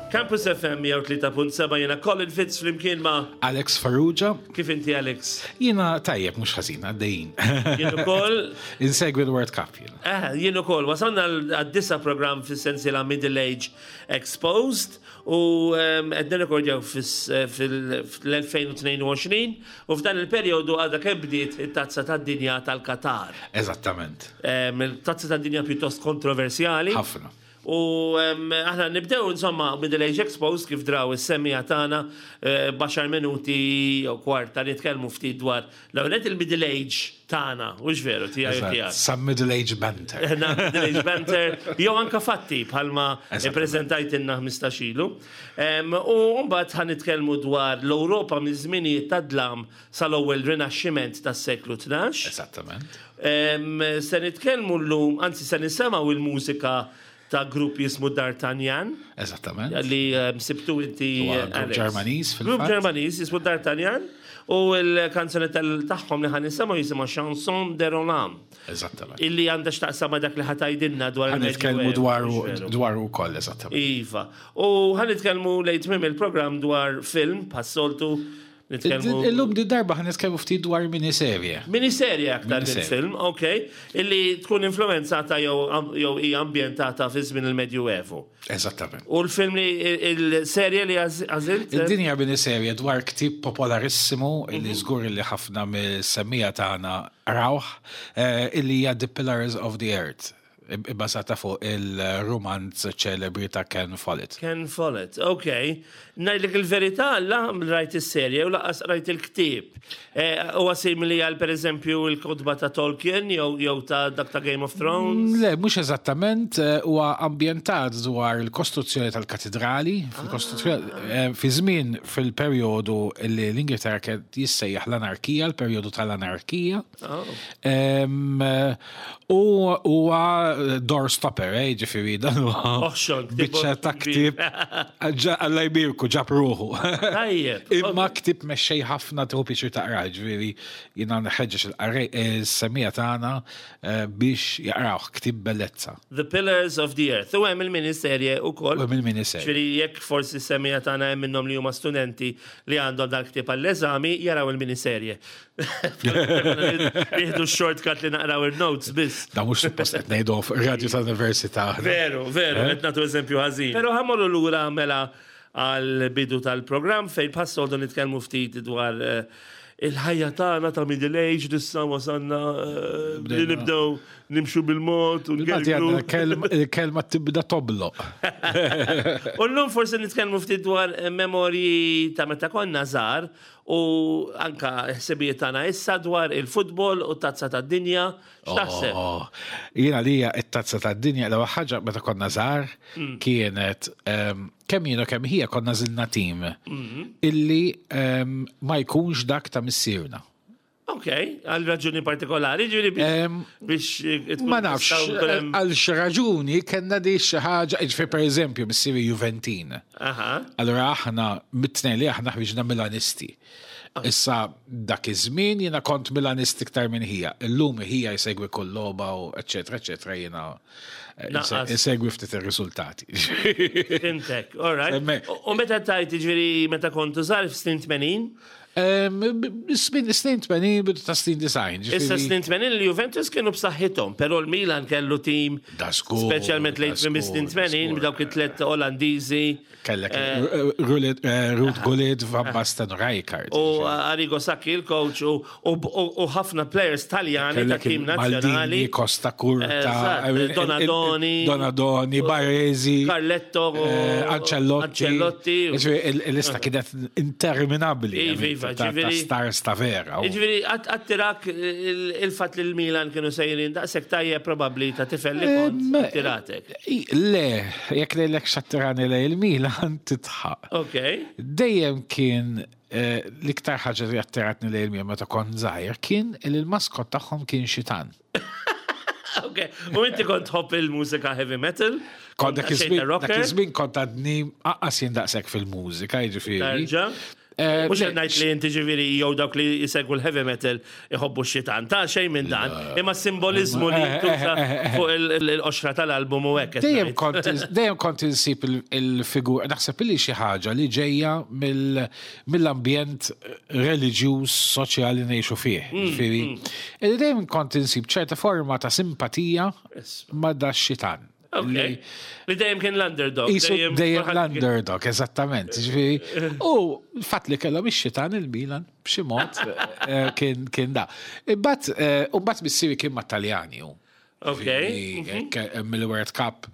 Campus FM 103.7 jiena Colin Fitz flimkien ma' Alex Farrugia. Kif inti Alex? Jiena tajjeb mhux ħażin għaddejjin. Jien ukoll. Insegwi l-World Cup jiena. Eh, jien ukoll wasalna għad-disa programm fis-sensiela Middle Age Exposed u ehm, qed nirrekordjaw fil-2022 u f'dan il-perjodu għadha kemm bdiet it-Tazza tad-Dinja tal-Qatar. Eżattament. Ehm, il-Tazza tad-Dinja pjuttost kontroversjali. Ħafna. U aħna nibdew insomma Middle Age Exposed kif draw is-semmiegħa tagħna eh, b'għaxar minuti jew kwarta nitkellmu ftit dwar l-ewwel il-Middle Age tagħna, hux veru tiegħi u tiegħek. Some Middle Age banter. Middle Age banter, jew anka fatti bħalma ippreżentajtilna 15 ilu. U mbagħad ħa nitkellmu dwar l-Ewropa miż-żminijiet tad-dlam sal-ewwel Rinaxximent tas-seklu 12. Eżattament. Se nitkellmu llum, anzi se nisemgħu il-mużika ta' grupp jismu D'Artagnan. Eżattament. Li sibtu inti. Grupp Ġermaniż fil Grupp Ġermaniż jismu D'Artagnan u l-kanzone tagħhom li ħan nisimgħu jisimha Chanson de Roland. Eżattament. Illi għandha x'taqsam ma' dak li ħatajdilna dwar il Nitkellmu dwar dwar ukoll eżattament. Iva. U ħan nitkellmu lejn tmiem il-programm dwar film bħas-soltu Nitkellmu. Illum di darba ħan nitkellmu ftit dwar miniserje. Miniserje aktar minn film, ok, illi tkun influenzata jew hija ambjentata fi żmien il-Medjuevu. Eżattament. U l-film li il-serje li għażilt? Din hija miniserje dwar ktieb popolarissimu illi mhm. żgur li ħafna mill-semmija tagħna rawh, eh, illi hija The Pillars of the Earth ibbażata fuq il-rumanz ċelebri ta' Ken Follett. Ken Follett, ok. Ngħidlek il-verità, la rajt is-serje u laqas rajt il-ktieb. Eh, huwa simili għal pereżempju l-kotba ta' Tolkien jew ta' dak ta' Game of Thrones? Mm, le, mhux eżattament, eh, huwa ambjentat dwar il-kostruzzjoni tal-katidrali, fil-kostruzzjoni ah. eh, fi żmien fil-perjodu li l-Ingilterra kien jissejjaħ l-anarkija, l-perjodu tal-anarkija. Oh. U huwa door stopper, eh, ġifieri dan huwa. Biċċa ta' ktieb. Alla jbirku ġab ruħu. Tajjeb. Imma ktieb mexxej ħafna tieħu pjaċir taqra, ġifieri jiena nħeġġeġ il-qarrej is-semmiegħa tagħna eh, biex jaqrawh ktieb bellezza. The Pillars of the Earth. U hemm il-miniserje wkoll. U hemm il-miniserje. Ġifieri jekk forsi s-semmiegħa tagħna hemm minnhom li huma studenti li għandhom dal-ktieb għall-eżami jaraw il-miniserje. Nieħdu shortcut li naqraw il-notes biss. Da mhux suppost qed ngħidu radio tal-università. Veru, veru, eh? qed nagħtu eżempju ħażin. Però ħamorru lura mela għal bidu tal-programm fejn passoldu nitkellmu ftit dwar eh, il-ħajja tagħna ta' middle age issa wasanna eh, li nibdew nimxu bil-mod u ngergru. Il-kelma tibda tobloq. U llum forsi nitkellmu ftit dwar memorji ta' meta konna żgħar U anka ħsibijiet tagħna issa dwar il-futbol u t-Tazza tad-Dinja, x'taħseb? Oh, jiena lija t-Tazza tad-Dinja l-ewwel ħaġa meta konna żgħar mm. kienet ehm, kemm jiena kemm hija konna żilna tim mm-hmm. illi ehm, ma jkunx dak ta' missierna. Ok, għal raġuni partikolari, ġiri biex. Eh, ma nafx, għal xi raġuni kellna di xi ħaġa, ġifieri pereżempju missieri Juventin. Allura aħna mit-tnejn li aħna ħriġna Milanisti. Ah. Issa dak iż-żmien jiena kont Milanist iktar minn ħija. Illum ħija jsegwi kull logħba u eċetera eċetera jiena eh, isegwi ftit ir-riżultati. Fimtek, all right. U meta tajt ġifieri meta kontu żgħar f'snin 80? Snin 80, bidu ta' snin 90. Issa snin 80 l-Juventus kienu b'saħħithom, però l-Milan kellu tim. Speċjalment lejn tmiem snin 80 b'dawk it-tlet Olandiżi. Kellek eh, eh, Ruud Gullit, Van Basten, Rijkaard. U Arrigo Sacchi il-coach u ħafna players Taljani ta' tim nazzjonali. Costa Curta, Donadoni. Donadoni, Baresi. Carletto. Eh, Ancelotti. Ancelotti. Il-lista kienet interminabbli. Iva, iva, ġifieri. Stars ta' vera. Ġifieri, attirak il-fatt li l-Milan kienu sejrin daqshekk tajjeb probabbli ta' tifel li kont attiratek. Le, jekk lejlek xattirani lej il-Milan titħaq. Ok. Dejjem kien eh, l-iktar ħaġa li attiratni lej il-Milan meta kont żgħir kien li l-maskot tagħhom kien xitan. Ok, u inti kont tħobb il-mużika heavy metal? Kont dak iż-żmien kont għadni aqqas jien daqshekk fil-mużika, jiġifieri. Tarġa. Mhux qed ngħid li inti ġifieri jew dawk li jsegwu l-heavy metal iħobbu x-xitan, ta' xejn minn dan, imma s-simboliżmu li jintuża fuq il-qoxra tal-album u hekk. Dejjem kont dejjem kont insib il-figura, naħseb li xi ħaġa li ġejja mill-ambjent reliġjuż soċjali ngħixu fih. Ġifieri, dejjem kont insib ċerta forma ta' simpatija ma' da xitan. Li dejjem kien l-underdog. Dejjem l-underdog, eżattament. Ġifieri, u fatt li kellhom ix-xitan il-Milan b'xi mod eh, kien da. Imbagħad eh, u mbagħad missieri kien mat-Taljani hu. Ok. Eh, mill-World Cup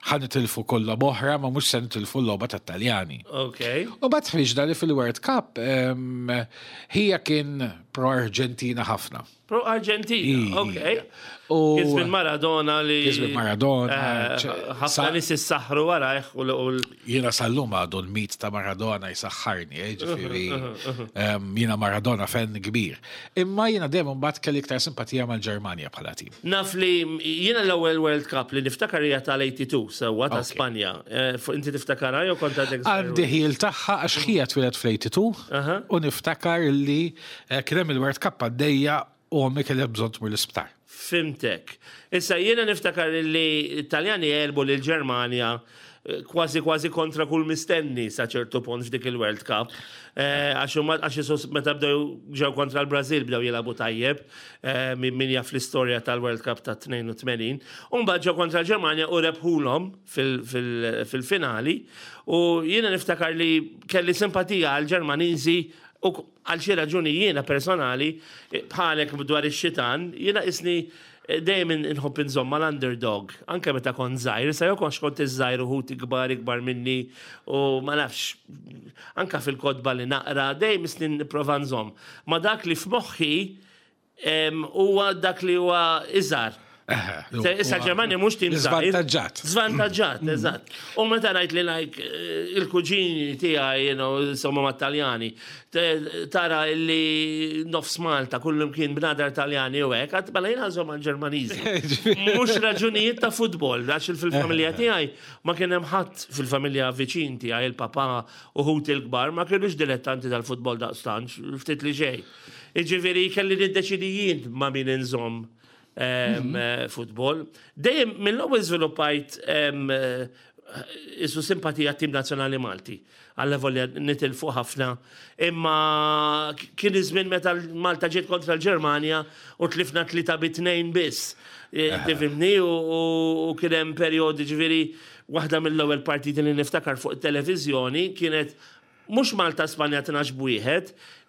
ħa nitilfu kollha oħra ma mhux se nitilfu l-logħba tat-Taljani. Ok. U mbagħad ħriġna li fil-World Cup hija kien pro Arġentina ħafna. Pro Argentina, ok. U Kien Maradona li. Kien Maradona. Eh, ħafna nies issaħħru warajh u Jiena sal-lum għadu l-mit ta' Maradona jisaħħarni, eh, ġifieri. Jiena Maradona fan kbir. Imma jiena dejjem imbagħad kelli iktar simpatija mal-Ġermanja bħala tim. Naf li jiena l-ewwel World Cup li niftakar hija tal-82 sewwa ta' Spanja. Eh, inti tiftakarha jew kont għadek? Għandi ħil tagħha għax ħija twieled fl-82 u niftakar li Kien hemm il-World Cup għaddejja u ommi kellha bżonn tmur l-isptar. Fhimtek. Issa jiena niftakar li t-Taljani għelbu lill-Ġermanja eh, kważi kważi kontra kull mistenni sa ċertu punt f'dik il-World Cup. Eh, għax huma għax isus meta bdew ġew kontra l-Brażil bdew jilagħbu tajjeb eh, min jaf l-istorja tal-World Cup ta' 82. U mbagħad ġew kontra l-Ġermanja u rebħulhom fil-finali. U jiena niftakar li kelli simpatija għall-Ġermaniżi U għal xi raġuni jiena personali, bħalek dwar ix-xitan, jiena isni eh, dejjem inħobb inżomm mal-underdog, anke meta kont żgħir, sa jew kontx kont iż-żgħir u ħuti kbar ikbar minni u ma nafx, anke fil-kotba li naqra, dejjem isni nipprova nżomm. Ma dak li f'moħħi huwa dak li huwa iżgħar. Issa Ġermanja mhux tim Żvantaġġat. Żvantaġġat, mm. eżatt. U meta ngħid li like eh, il-kuġini tiegħi, you know, insomma mat-Taljani, tara li nofs Malta kullum kien bnadar Taljani u hekk, għad mela jien ħażhom għall-Ġermaniżi. Mhux raġunijiet ta' futbol, għax fil-familja tiegħi ma kien hemm ħadd fil-familja viċin tiegħi il-papà u ħuti l-kbar ma kienux dilettanti tal-futbol daqstant, ftit li xejn. Jiġifieri kelli niddeċidi jien ma' min inżomm mhm. futbol. Dejjem mill-ewwel żviluppajt isu simpatija tim nazzjonali Malti. Għalla volja nitilfu ħafna. Imma kien iż-żmien meta Malta ġiet kontra l-Ġermanja u tlifna 3-2 biss. E, tifhimni u kien hemm perjodi ġifieri waħda mill-ewwel partiti li niftakar fuq it-televiżjoni kienet Mhux Malta Spanja 12 b'wieħed,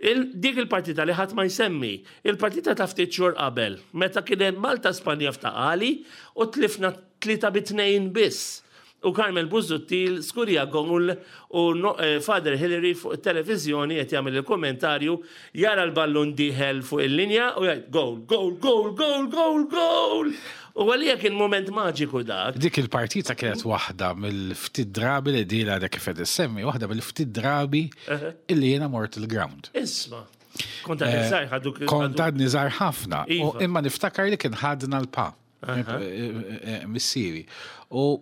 il, dik il-partita li ħadd ma jsemmi. Il-partita ta' ftit xhur qabel, meta kien hemm Malta Spanja f'Ta' Qali u tlifna 3 bi 2 biss. U Carmel Busuttil skurja gowl u Father Hillary fuq it-televiżjoni qed jagħmel il-kummentarju, jara l-ballun dieħel fuq il-linja u jgħid gowl, gowl, gowl, gowl, gowl, gowl! U għalija kien mument maġiku dak. Dik il-partita kienet waħda mill-ftit drabi li dila għadha kif qed issemmi, waħda mill-ftit drabi illi jiena mort il-ground. Isma. Kont għadni eh, żgħir ħadu. Kont għadni żgħar ħafna. Iva. Imma niftakar li kien ħadna l-pa. Eh, eh, missieri. U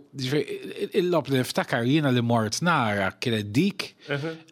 il-lob li niftakar jiena li mort nara kienet dik,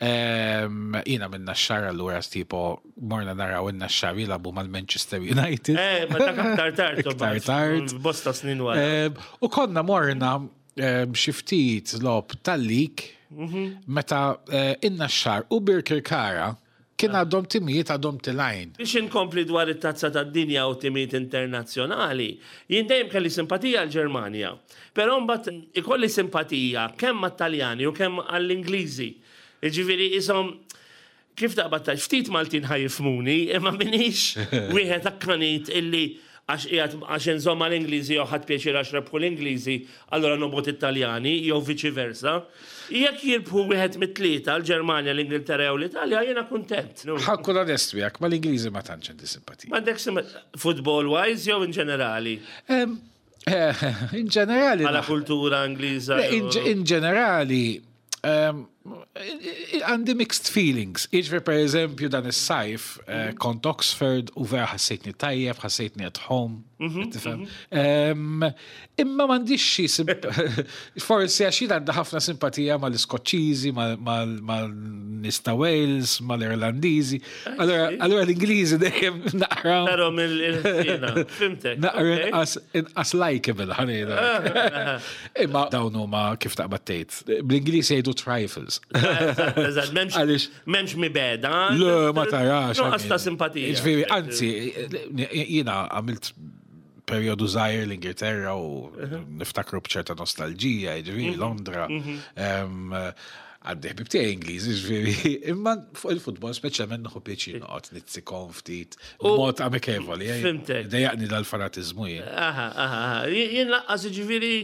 ehm, jiena minna xara l-ura tipo morna naraw in-Naxxar jilagħbu mal-Manchester United. Eh, ma dak aktar tard. Aktar tard. Bosta snin wara. Eh, u konna morna eh, xi ftit logħob tal-lik mhm. meta eh, in-Naxxar u Birkirkara kien ah. għadhom timijiet għadhom tilajn. Biex inkompli dwar it-tazza tad-dinja u timijiet internazzjonali, jien dejjem kelli simpatija għall-Ġermanja. Però mbagħad ikolli simpatija kemm għat-Taljani u kemm għall-Ingliżi. Jiġifieri ishom Kif taqbad tgħid, ftit Maltin ħa jifhmuni, imma m'iniex wieħed akkanit illi għax qiegħed għax inżomm mal-Ingliżi jew ħadt pjaċir għax rebħu l-Ingliżi, allura nobgħod it-Taljani jew viċi versa. Jekk jirbħu wieħed mit-tlieta, l-Ġermanja, l-Ingilterra jew l-Italja, jiena kuntent. Ħa nkun onest miegħek, mal-Ingliżi ma tantx għandi simpatija. M'għandekx simpatija? Football wise jew in ġenerali? In ġenerali. Għala kultura Ingliża. In ġenerali, għandi mixed feelings. Iġri per eżempju dan is-sajf eh, mhm. kont Oxford u vera ħassejtni tajjeb, ħassejtni at home. Mhm, mhm. Imma m'għandix xi forsi għax jien għandha ħafna simpatija mal-Iskoċċiżi, mal man-nies ta' Wales, mal-Irlandiżi. Allura l-Ingliżi dejjem naqra. Tarhom il-ħsiena, fhimtek. Naqra inqas inqas likeable ħa ngħidlek. Imma dawn huma kif taqbad tgħid. Bl-Ingliż jgħidu trifles. Eżatt, m'hemmx m'hemmx mibegħda. Le, ma tarax. Nuqqas ta' simpatija. Jiġifieri, anzi, jiena għamilt perjodu żgħir l-Ingilterra u niftakru b'ċerta nostalġija, jiġifieri mhm. Londra. Mhm. Għandi ħbib tiegħi Ingliż, jiġifieri, imma fuq il-futbol speċjalment nieħu pjaċir noqgħod nitzikom ftit b'mod amikevoli. Eh? Fimtek. Dejjaqni dal-fanatiżmu jien. Aha, aha, jien laqqas jiġifieri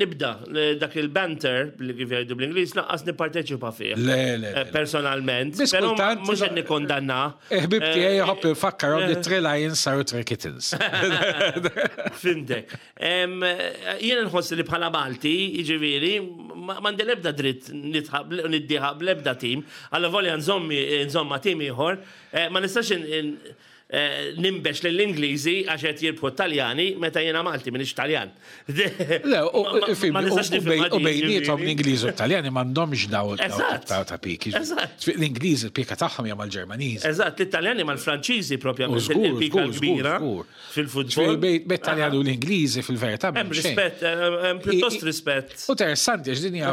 nibda dak il-banter li kif jgħidu bl-Ingliż laqqas nipparteċipa fih. Le, le. Eh, personalment. Però mhux qed nikkondanna. Ħbib tiegħi jħobb infakkarhom li Three Lions saru Three Kittens. Fimtek. Jien nħoss li bħala Malti, jiġifieri, m'għandi l-ebda dritt niddieħaq bl-ebda tim, alla volja nżomma tim ieħor, eh, ma nistax ninbex lill-Ingliżi għax qed jirbħu t-Taljani meta jiena Malti m'iniex Taljan. Le, u bejniethom l-Ingliżi u t-Taljani m'għandhomx daw ta' piki. L-Ingliżi l-pika tagħhom hija mal-Ġermaniżi. Eżatt, l-Italjani mal-Franċiżi propjament il-pika kbira fil-futbol. Bejn Taljani u l-Ingliżi fil-verità. Hemm rispett, hemm pjuttost rispett. U interessanti għax din hija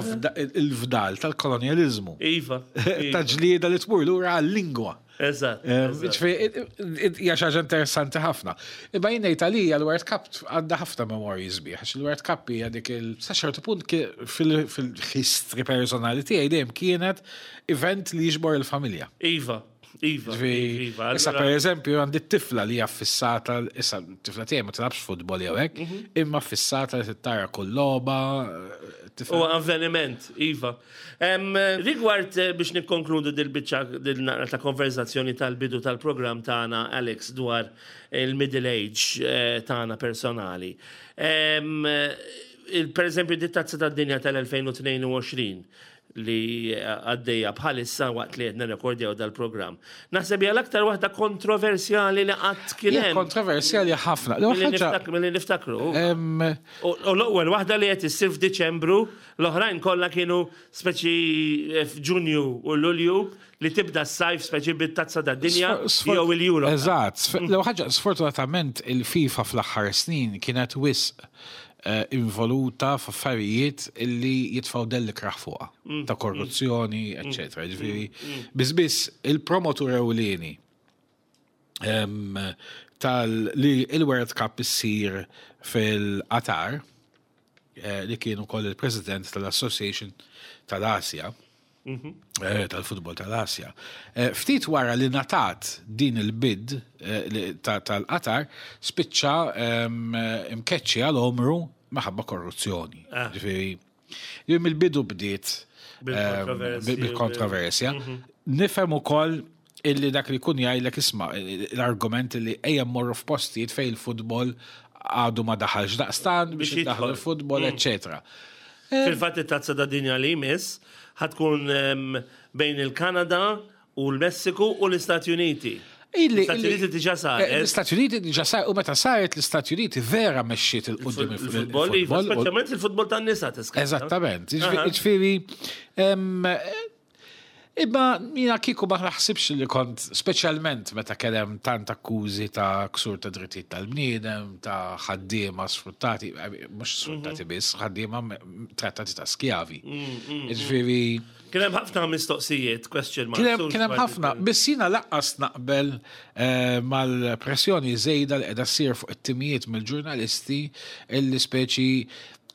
l-fdal tal-kolonjaliżmu. Iva. Ta' ġlieda li tmur lura għal-lingwa. Eżatt. Hija xi ħaġa interessanti ħafna. Imma jien ngħid għalija l-World Cup għandha ħafna memorji sbieħ, għax il-World Cup hija dik il sa ċertu punt fil-history personali tiegħi dejjem kienet event li jiġbor il-familja. Iva. Iva, iva. Issa per eżempju għandi t-tifla li hija fissata, issa t-tifla tiegħi ma tilabx futbol jew hekk, mhm. imma fissata li tittara kull logħba. U avveniment, iva. Rigward eh, biex nikkonkludu dil-biċċa dil-naqra ta' konverzazzjoni tal-bidu tal-programm tagħna Alex dwar il-middle age eh, tagħna personali. Per eżempju, dit-tazza tad-dinja tal-2022 li għaddejja bħalissa waqt li qed nirrekordjaw dal-programm. Naħseb hija l-aktar waħda kontroversjali li qatt kien hemm. Kontroversjali ħafna. Milli niftakru. U l-ewwel waħda li qed issir f'Diċembru L-oħrajn kollha kienu speċi eh, f'Ġunju u Lulju li tibda s-sajf speċi bit-tazza tad-dinja jew il-Euro. Eżatt. L-ewwel ħaġa, sfortunatament il-FIFA fl-aħħar snin kienet wisq eh, involuta f'affarijiet illi jitfgħu dell ikrah fuqha, mm. ta' korruzzjoni, mm. eċċetera. Mm. Ġifieri, biss biss il-promotur ewlieni tal li il-World Cup issir fil-Qatar, eh, li kien ukoll il-President tal-Association tal-Asja, mhm. eh, tal-futbol tal-Asja. Eh, ftit wara li natat din il-bid tal-Qatar, spiċċa imkeċċi għal omru maħabba korruzzjoni. Ah. Ġifieri, mill-bidu bdiet bil-kontroversja. Mhm. Nifhem ukoll illi dak li jkun jgħidlek isma' l-argument li ejja mmorru f'postijiet fejn il-futbol għadu ma daħalx daqstan biex jiddaħlu l-futbol, mm. eccetera. Fil-fatt it-tazza ta' dinja li jmiss ħatkun bejn il-Kanada u l-Messiku u l-Istati Uniti. L-Istati Uniti diġa saret. Eh, L-Istati Uniti diġa saret u meta saret l-Istati Uniti vera mexxiet il-qudiem il-futbol. Iva, speċjalment il-futbol tan-nisa tiskanta. Eżattament. Ġifieri Imma jiena kieku ma naħsibx li kont, speċjalment meta kien hemm tant akkużi ta' ksur ta' drittijiet tal-bniedem, ta' ħaddiema sfruttati, eh, mhux sfruttati mhm. biss, ħaddiema trattati ta' skjavi. Mm, mm, mm. Ġifieri. Kien hemm ħafna mistoqsijiet, question mark. Kien hemm ħafna, biss jiena laqqas naqbel eh, mal-pressjoni żejda li qiegħda ssir fuq it-timijiet mill-ġurnalisti illi speċi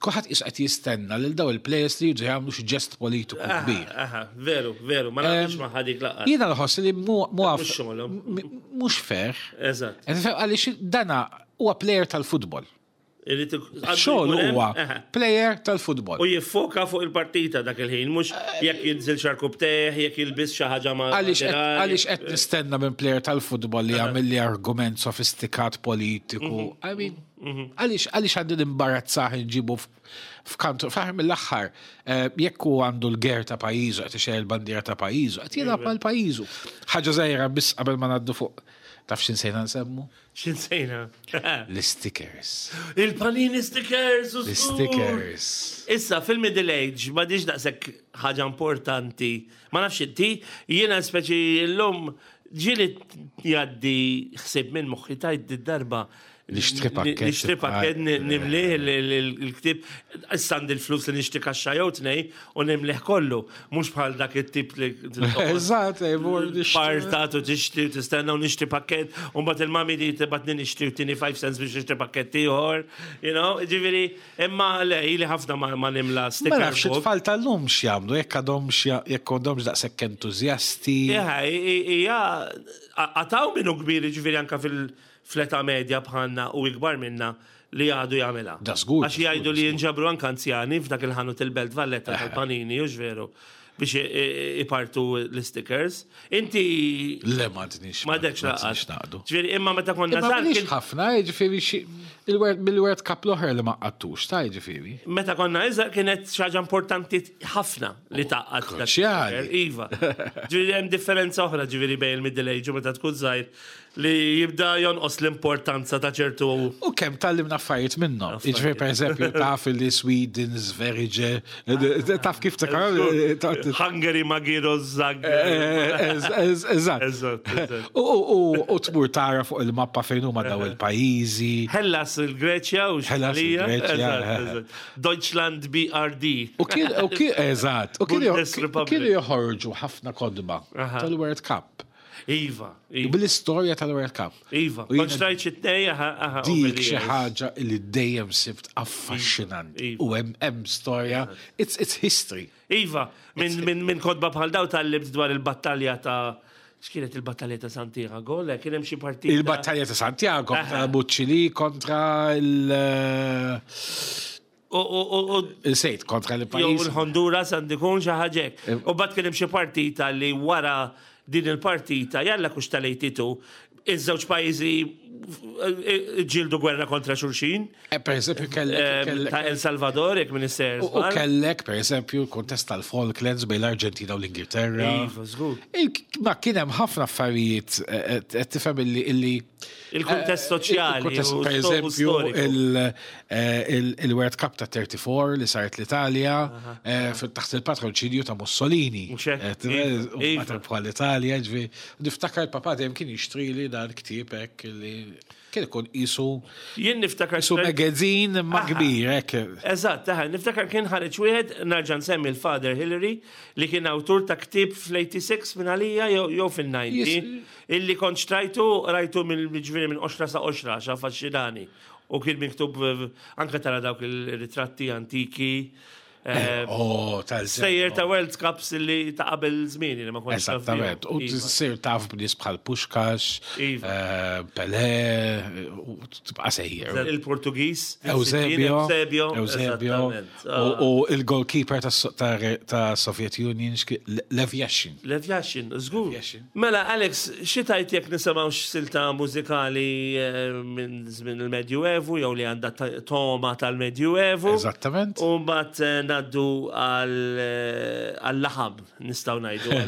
Kulħadd qisu qed jistenna lil daw il-players li jiġu jagħmlu xi ġest politiku kbir. Aha, veru, veru, ma naqbilx ma' dik laqgħa. Jiena nħoss li mhux fair. Eżatt. Għaliex dana huwa player tal-futbol. Xogħol huwa player tal-futbol. U jiffoka fuq il-partita dak il-ħin, mhux jekk jinżil xarkub teħ, jekk jilbis xi ħaġa ma' Għaliex qed nistenna minn player tal-futbol li jagħmel li argument sofistikat politiku. Mhm. I mean, Mhm. Għaliex għaliex għandi nimbarazzah nġibu f'kantu fl-aħħar mill-aħħar eh, jekk hu għandu l-ger ta' pajjiżu qed ixejjer il-bandiera ta' pajjiżu, qed jilgħab mal pajjiżu. Ħaġa żgħira biss qabel ma ngħaddu fuq Taf x'insejna nsemmu? X'insejna? L-stickers. Il-panini stickers u L-stickers. Issa, fil-middle age, ma diġ daqshekk ħaġa importanti. Ma nafx inti, jiena speċi l-lum ġieli jgħaddi ħsieb minn moħħi tajt darba Nixtri pakket. Nixtri pakket nimlih il-ktib, issa għandi l-flus li nixtri kaxxa jew tnej u nimlih kollu. Mhux bħal dak it-tip li. Eżatt, Partat u tixtri u tistenna u nixtri pakket, u mbagħad il-mami li tibatni nixtri u tini 5 cents biex nixtri pakket ieħor, you know, ġifieri, imma le, ili ħafna ma nimla sticker. Ma nafx it-tfal tal-lum x'jagħmlu, jekk għadhomx jekk għandhomx daqshekk entużjasti. Ija, għataw minnu kbir, ġifieri anka fil- fl-età medja bħalna u ikbar minna li għadu jagħmilha. Da żgur. Għax jgħidu li jinġabru anke anzjani f'dak il-ħanut il-Belt Valletta tal-panini, hux veru, biex ipartu l-stickers. Inti. Le ma dnix. Ma dekx laqas. Ġifieri imma meta konna żgħar. Imma ħafna, ġifieri bil-World Cup l-oħra li ma qattux, ta' ġifieri. Meta konna iżgħar kienet xi ħaġa importanti ħafna li taqgħad. Kruċjali. Iva. Ġifieri hemm differenza oħra ġifieri bejn il-middle age u meta tkun żgħir Li jibda jonqos l-importanza ta' ċertu. U kemm tgħallimna affarijiet minnhom. Jiġifieri pereżempju taf li Sweden Sverige, taf kif ta' Hungary Magiro Zag. Eżatt. U tmur tara fuq il-mappa fejn huma daw il-pajjiżi. Hellas il-Greċja u Hellas il-Greċja. Deutschland BRD. U kien, eżatt, u kienu joħorġu ħafna kodba tal-World Cup. Iva. iva. Bil-istorja tal-World Cup. Iva. Kont xtrajt xi tnej, aha, aha. Dik xi ħaġa li dejjem sibt affaxxinanti. Iva. U hemm hemm storja, it's, it's history. Iva, minn min, min kotba bħal daw tal-libt dwar il-battalja ta' x'kienet il-battalja ta' Santiago, le kien hemm xi partita. Il-battalja ta' Santiago, ta' Buċċili kontra il- U Sejt kontra l-pajjiż. Jew il-Honduras għandu jkun xi ħaġa hekk. Eh. U bad kien hemm xi partita li wara din il-partita jalla kux tal-82 iż-żewġ pajjiżi eh, ġildu gwerra kontra xulxin. Eh, per eżempju, kellek. Ta' El Salvador, jekk minister. U kellek, per eżempju, kontest tal-Falklands bejn l-Arġentina u l-Ingilterra. Iva, żgur. Ma kien hemm ħafna affarijiet tifhem illi Il-kuntest eh, soċjali. Per eżempju, eh, il-World Cup ta' 34 li saret l-Italja eh, taħt il-patroċinju ta' Mussolini. Iva. Bħal l-Italja, ġvi. Niftakar il-papa dejjem kien jixtri li dan ktieb hekk li kien ikun isu. Jien niftakar. Isu magazine ma' kbir, hekk. Eżatt, niftakar kien ħareġ wieħed narġa' nsemmi l-Father Hillary li kien awtur ta' ktieb fl-86 minn għalija jew fil-90. Illi kont xtrajtu, rajtu mill-ġifieri minn qoxra sa qoxra, għax affaxxinani. U kien miktub anke tara dawk il-ritratti antiki. Eh, oh, tal Sejjer ta' World Cups li ta' qabel żmien li ma kontx. Esattament. U iva. sir taf b'nies bħal Puxkax, iva. eh, Pelé, u tibqa' sejjer. Il-Portugiż. Eusebio. Eusebio. Eusebio. Ah. U il-goalkeeper ta' Soviet Union, Lev Yashin. Lev Yashin, żgur. Mela, Alex, xi tgħid jekk nisimgħu x'silta mużikali eh, minn żmien il-Medjuevu jew li għandha toma tal-Medjuevu. Eżattament. U mbagħad eh, ngħaddu eh, għal-laħam, nistgħu ngħidu.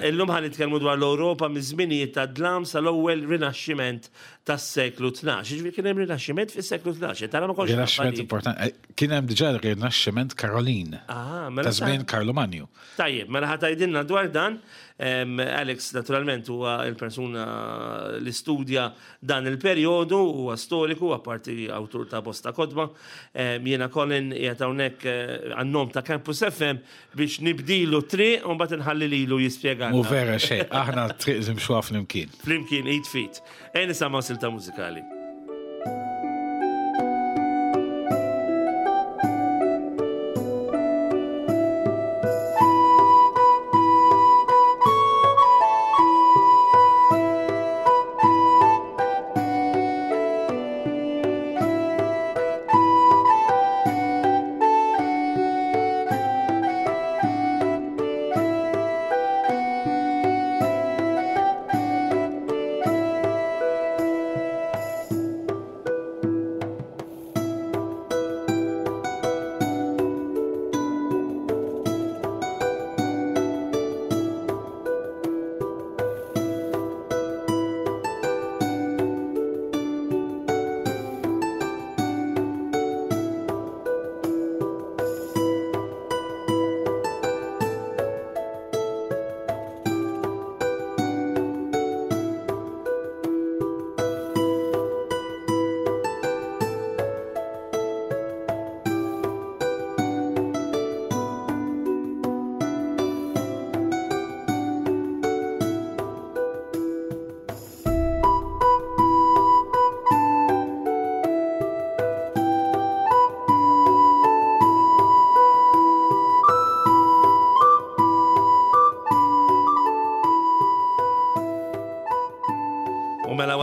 Illum ħa nitkellmu dwar l-Ewropa miż-żminijiet tad-dlam sal-ewwel Rinaxximent tas-seklu 12. Jiġifieri kien hemm Rinaxximent fis-seklu 12. Tara ma kontx. Rinaxximent importanti. Kien hemm diġà Rinaxximent Karolin. Ah, mela. Ta' żmien Karlu Manju. Tajjeb, mela ħa tgħidilna dwar dan. Alex naturalment huwa il-persuna li studja dan il-perjodu, huwa storiku, apparti awtur ta' bosta kotba. Jiena Colin qiegħed hawnhekk eh, għan-nom ta' Campus FM biex nibdilu triq u mbagħad inħalli lilu jispjega. Mu vera xejn, aħna triq nimxuha flimkien. Flimkien id fit. Ejja nisimgħu silta mużikali.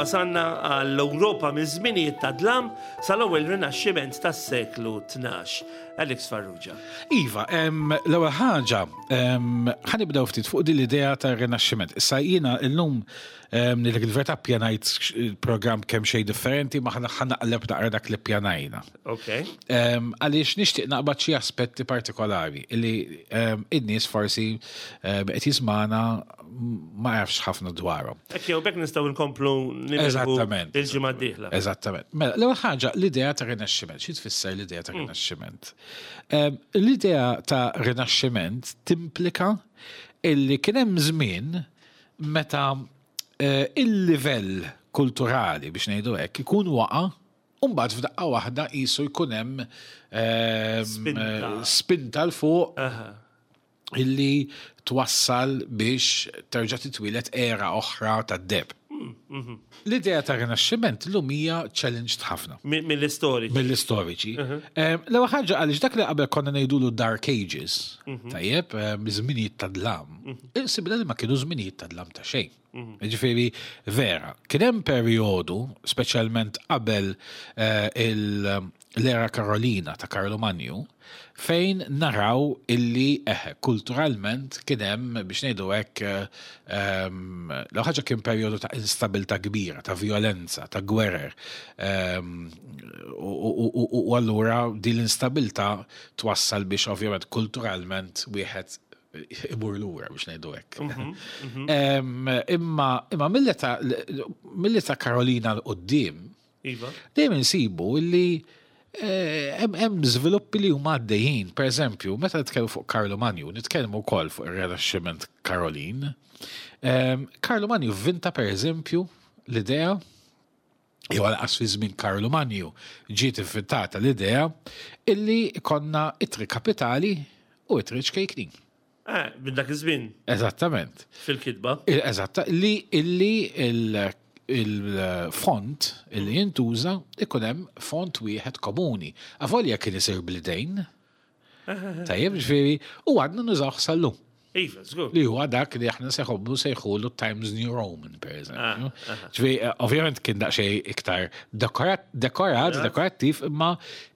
wasanna għall-Ewropa miż-żminijiet ta' dlam sal-ewwel Rinaxximent tas-seklu 12. Alex Farrugia. Iva, l-ewwel ħaġa, ħa nibdew ftit fuq din l-idea tar-Rinaxximent. Issa jiena llum ngħidlek il-verità ppjanajt il-programm kemm xejn differenti ma ħa naqleb naqra dak li ppjanajna. Ok. Għaliex nixtieq naqbad xi aspetti partikolari li in-nies forsi qed jismana ma jafx ħafna dwarhom. Hekk jew bekk nistgħu nkomplu Eżattament. Il-ġimgħa d-dieħla. Eżattament. Mela, l-ewwel ħaġa l-idea ta' Rinaxximent. Xi tfisser l-idea ta' Rinaxximent? L-idea ta' Rinaxximent timplika illi kien hemm żmien meta eh, il-livell kulturali biex ngħidu hekk ikun waqa' u mbagħad f'daqqa waħda qisu jkun hemm spinta 'l fuq illi twassal biex terġa' titwieled era oħra tad-deheb. L-idea ta' Rinaxximent llum hija challenged ħafna. Mill-istoriċi. Mill-istoriċi. L-ewwel ħaġa għaliex dak li qabel konna ngħidulu Dark Ages, tajjeb, żminijiet ta' dlam, insibna li ma kienu żminijiet ta' dlam ta' xejn. Ġifieri vera, kien hemm perjodu, speċjalment qabel eh, l-era Karolina ta' Karlu Manju, fejn naraw illi eh, kulturalment kien hemm biex ngħidu hekk ehm, l ħaġa kien perjodu ta' instabilità kbira, ta' violenza, ta' gwerer. Ehm, u allura din l-instabilità twassal biex ovvjament kulturalment wieħed imur lura biex ngħidu hekk. Mhm, mhm. Imma imma mill-età Karolina l qoddim iva. dejjem insibu illi eh, hemm żviluppi li huma għaddejjin. Per eżempju, meta nitkellmu fuq Karlo Manju, nitkellmu wkoll fuq ir-Rinaxximent Karolin. Karlo Manju vvinta per eżempju l-idea jew għalqas fi żmien Karlu Manju ġiet ivvintata l-idea illi konna ittri kapitali u ittri ċkejknin. Eh, minn dak iż-żmien. Eżattament. Fil-kitba. Eżatta, li illi il-font illi jintuża ikun hemm font wieħed komuni. Avolja kien isir bl-idejn, Tajjeb, ġifieri, u għadna nużawh sal-lum. Iva, żgur. Li huwa dak li aħna seħobbu sejħulu Times New Roman, per eżempju. Ah, ah. Ġifieri, eh, ovvjament kien daqsxejn iktar dekorat, dekorat, dekorattiv, imma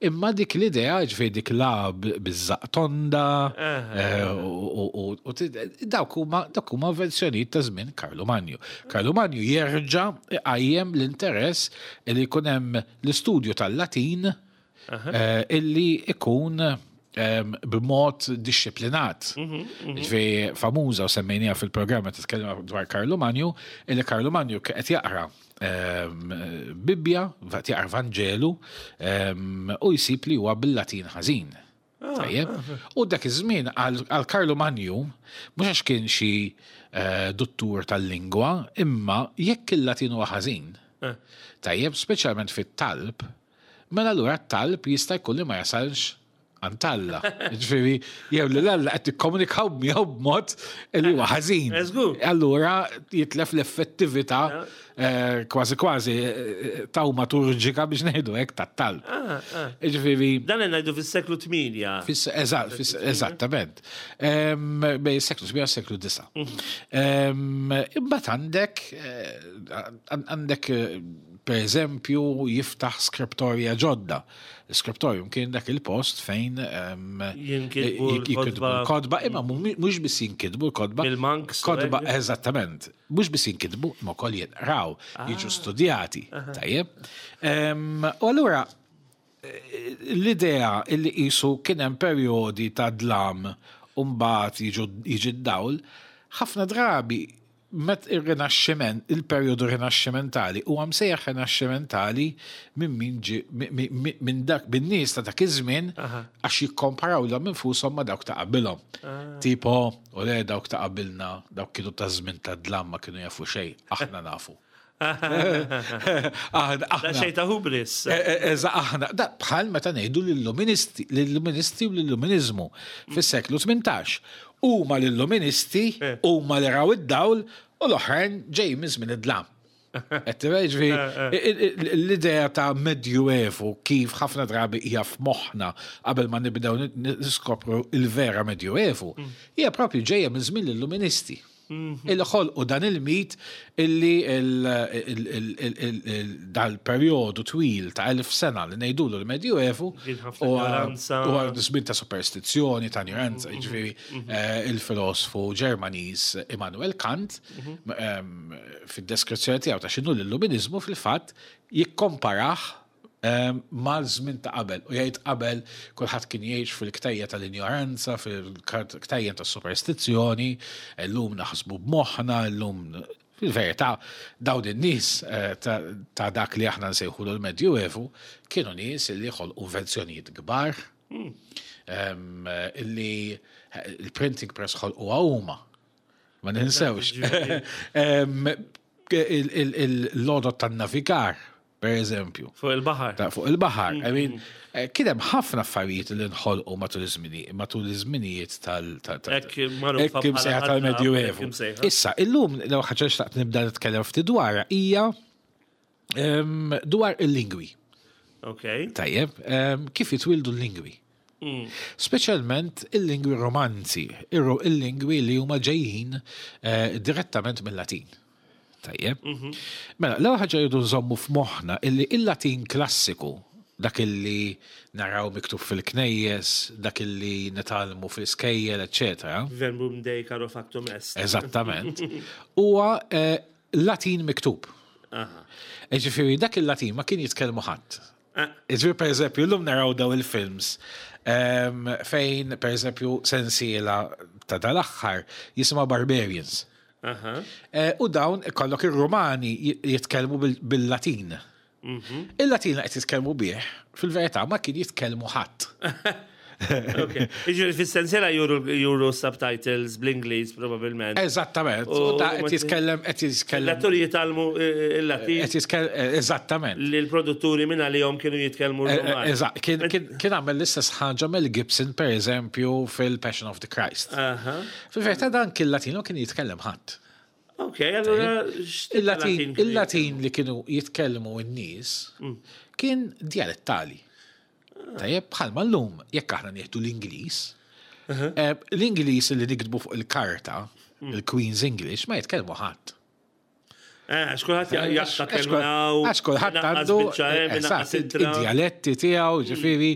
imma dik l-idea, ġifieri dik la biż-żaq tonda, eh, u dawk huma dawk huma verżjonijiet ta' żmien Karlu Manju. Karlu Manju jerġa' iqajjem l-interess li jkun hemm l-istudju tal-Latin Eh, illi ikun ehm, b'mod dixxiplinat. Mhm, mhm. Ġifieri famuża u semmejnija fil-programm meta tkellem dwar Karlu Manju, illi Karlu Manju qed jaqra ehm, Bibbja, qed jaqra Vanġelu ehm, u jsib li huwa bil-Latin ħażin. Ah, Tajjeb. Ah. U dak iż-żmien għal Karlu Manju, mhux għax kien xi eh, duttur tal-lingwa, imma jekk il-Latin huwa ħażin. Eh. Tajjeb, speċjalment fit-talb, Mela allura t-talb jista' jkun li ma jasalx għand Alla. Ġifieri, jew li l-Alla qed tikkomunikaw miegħu b'mod li huwa ħażin. Allura jitlef l-effettività eh, kważi kważi eh, tawmaturġika biex ngħidu hekk tat-talb. Ah, ah. Ġifieri. Dan ngħidu fis-seklu 8. Eżattament. Bej seklu 8 seklu 9. Mhm. Imbagħad għandek eh, għandek Per eżempju, jiftaħ skriptorja ġodda. L-skriptorium kien dak il-post fejn jinkitbu l-kotba, imma mhux biss jinkitbu l-kotba. Il-monks. Kotba, eżattament. Mhux biss jinkitbu, imma wkoll jinqraw, ah. jiġu studjati. Tajjeb. U allura l-idea illi qisu kien hemm perjodi ta' dlam u mbagħad jiġi d-dawl, ħafna drabi Met ir-Rinaxximent, il-perjodu Rinaxximentali huwa msejjaħ Rinaxximentali minn min ġie minn dak min-nies ta' dak iż-żmien għax jikkomparaw lilhom infushom ma' dawk ta' qabilhom. Tipo, u le dawk ta' qabilna, dawk kienu taż-żmien tad-dlam ma kienu jafu xejn, aħna nafu. Aħna. Xejn ta' hubris. E, e, eża aħna, da bħal meta ngħidu lill-luministi, lill-luministi u lill-luminiżmu fis-seklu 18. Huma l-illuministi, eh. huma li raw id-dawl u l-oħrajn ġej minn żmien id-dlam. Ġifieri, eh, eh. l-idea ta' Medjuevu kif ħafna drabi hija f'moħħna qabel ma nibdew niskopru il-vera Medjuevu, mm. hija propju ġejja minn żmien l-Illuministi. Illi ħolqu dan il-mit illi dal-perjodu twil ta' 1000 sena li ngħidulu l-Medjuevu huwa żmien ta' superstizzjoni, ta' ignoranza, jiġifieri il-filosfu Ġermaniż Immanuel Kant fid-deskrizzjoni tiegħu ta' x'inhu l-Illuminiżmu fil-fatt jikkomparah mal-żmien ta' qabel u jgħid qabel kulħadd kien jgħix fil-ktejja tal-injoranza, fil-ktejja tas-superstizzjoni, illum naħsbu b'moħħna, illum fil-verità dawn in-nies ta' dak li aħna nsejħulu l-Medjuevu kienu nies li ħolqu invenzjonijiet kbar, illi il-printing press ħolquha huma. Ma ninsewx. Il-lodot tan-navigar, per eżempju. Fuq il-baħar. Fuq il-baħar. I mean, kien hemm ħafna affarijiet li nħolqu matul iż-żmini, matul iż-żminijiet tal Hekk imsejħa tal-Medjuevu. Issa, illum l ħaġa xtaqt nibda nitkellem ftit dwarha hija dwar il-lingwi. Ok. Tajjeb, kif jitwildu l-lingwi? Speċjalment il-lingwi romanzi, il-lingwi li huma ġejjin direttament mill-Latin. Tajjeb. Mela, l-ewwel ħaġa jridu nżommu f'moħħna illi il-Latin klassiku, dak illi naraw miktub fil-knejjes, dak illi nitgħallmu fl-iskejjel, eċċetera. Verbum Dei caro factum est. Eżattament. Huwa Latin miktub. Ġifieri dak il-Latin ma kien jitkellmu ħadd. Ġifieri per eżempju, llum naraw daw il-films fejn per eżempju sensiela ta' dal-aħħar jisimha Barbarians. U dawn ikollok ir-Rumani jitkellmu bil-Latin. Il-Latin li qed jitkellmu bih, fil-verità ma kien jitkellmu ħadd. Jiġifieri fis-sensiela juru subtitles bl-Ingliż probabbilment. Eżattament. U ta' qed jitkellem qed jitkellem. L-atturi jitgħallmu il-Latin. Qed jitkellem eżattament. Li l-produtturi minn għalihom kienu jitkellmu r-Ruman. Eżatt. Kien għamel l-istess ħaġa Mel Gibson pereżempju fil-Passion of the Christ. Fil-verità dan kien Latin u kien jitkellem ħadd. Ok, allura Il-Latin il-Latin li kienu jitkellmu n-nies kien dialettali. Tajjeb, bħalma llum, jekk aħna nieħdu l-Ingliż, l-Ingliż li niktbu fuq il-karta, il-Queen's English, ma jitkellmu ħadd. Għax kulħadd jaqta' kelma hawn. Għax kulħadd għandu id-dialetti tiegħu, ġifieri,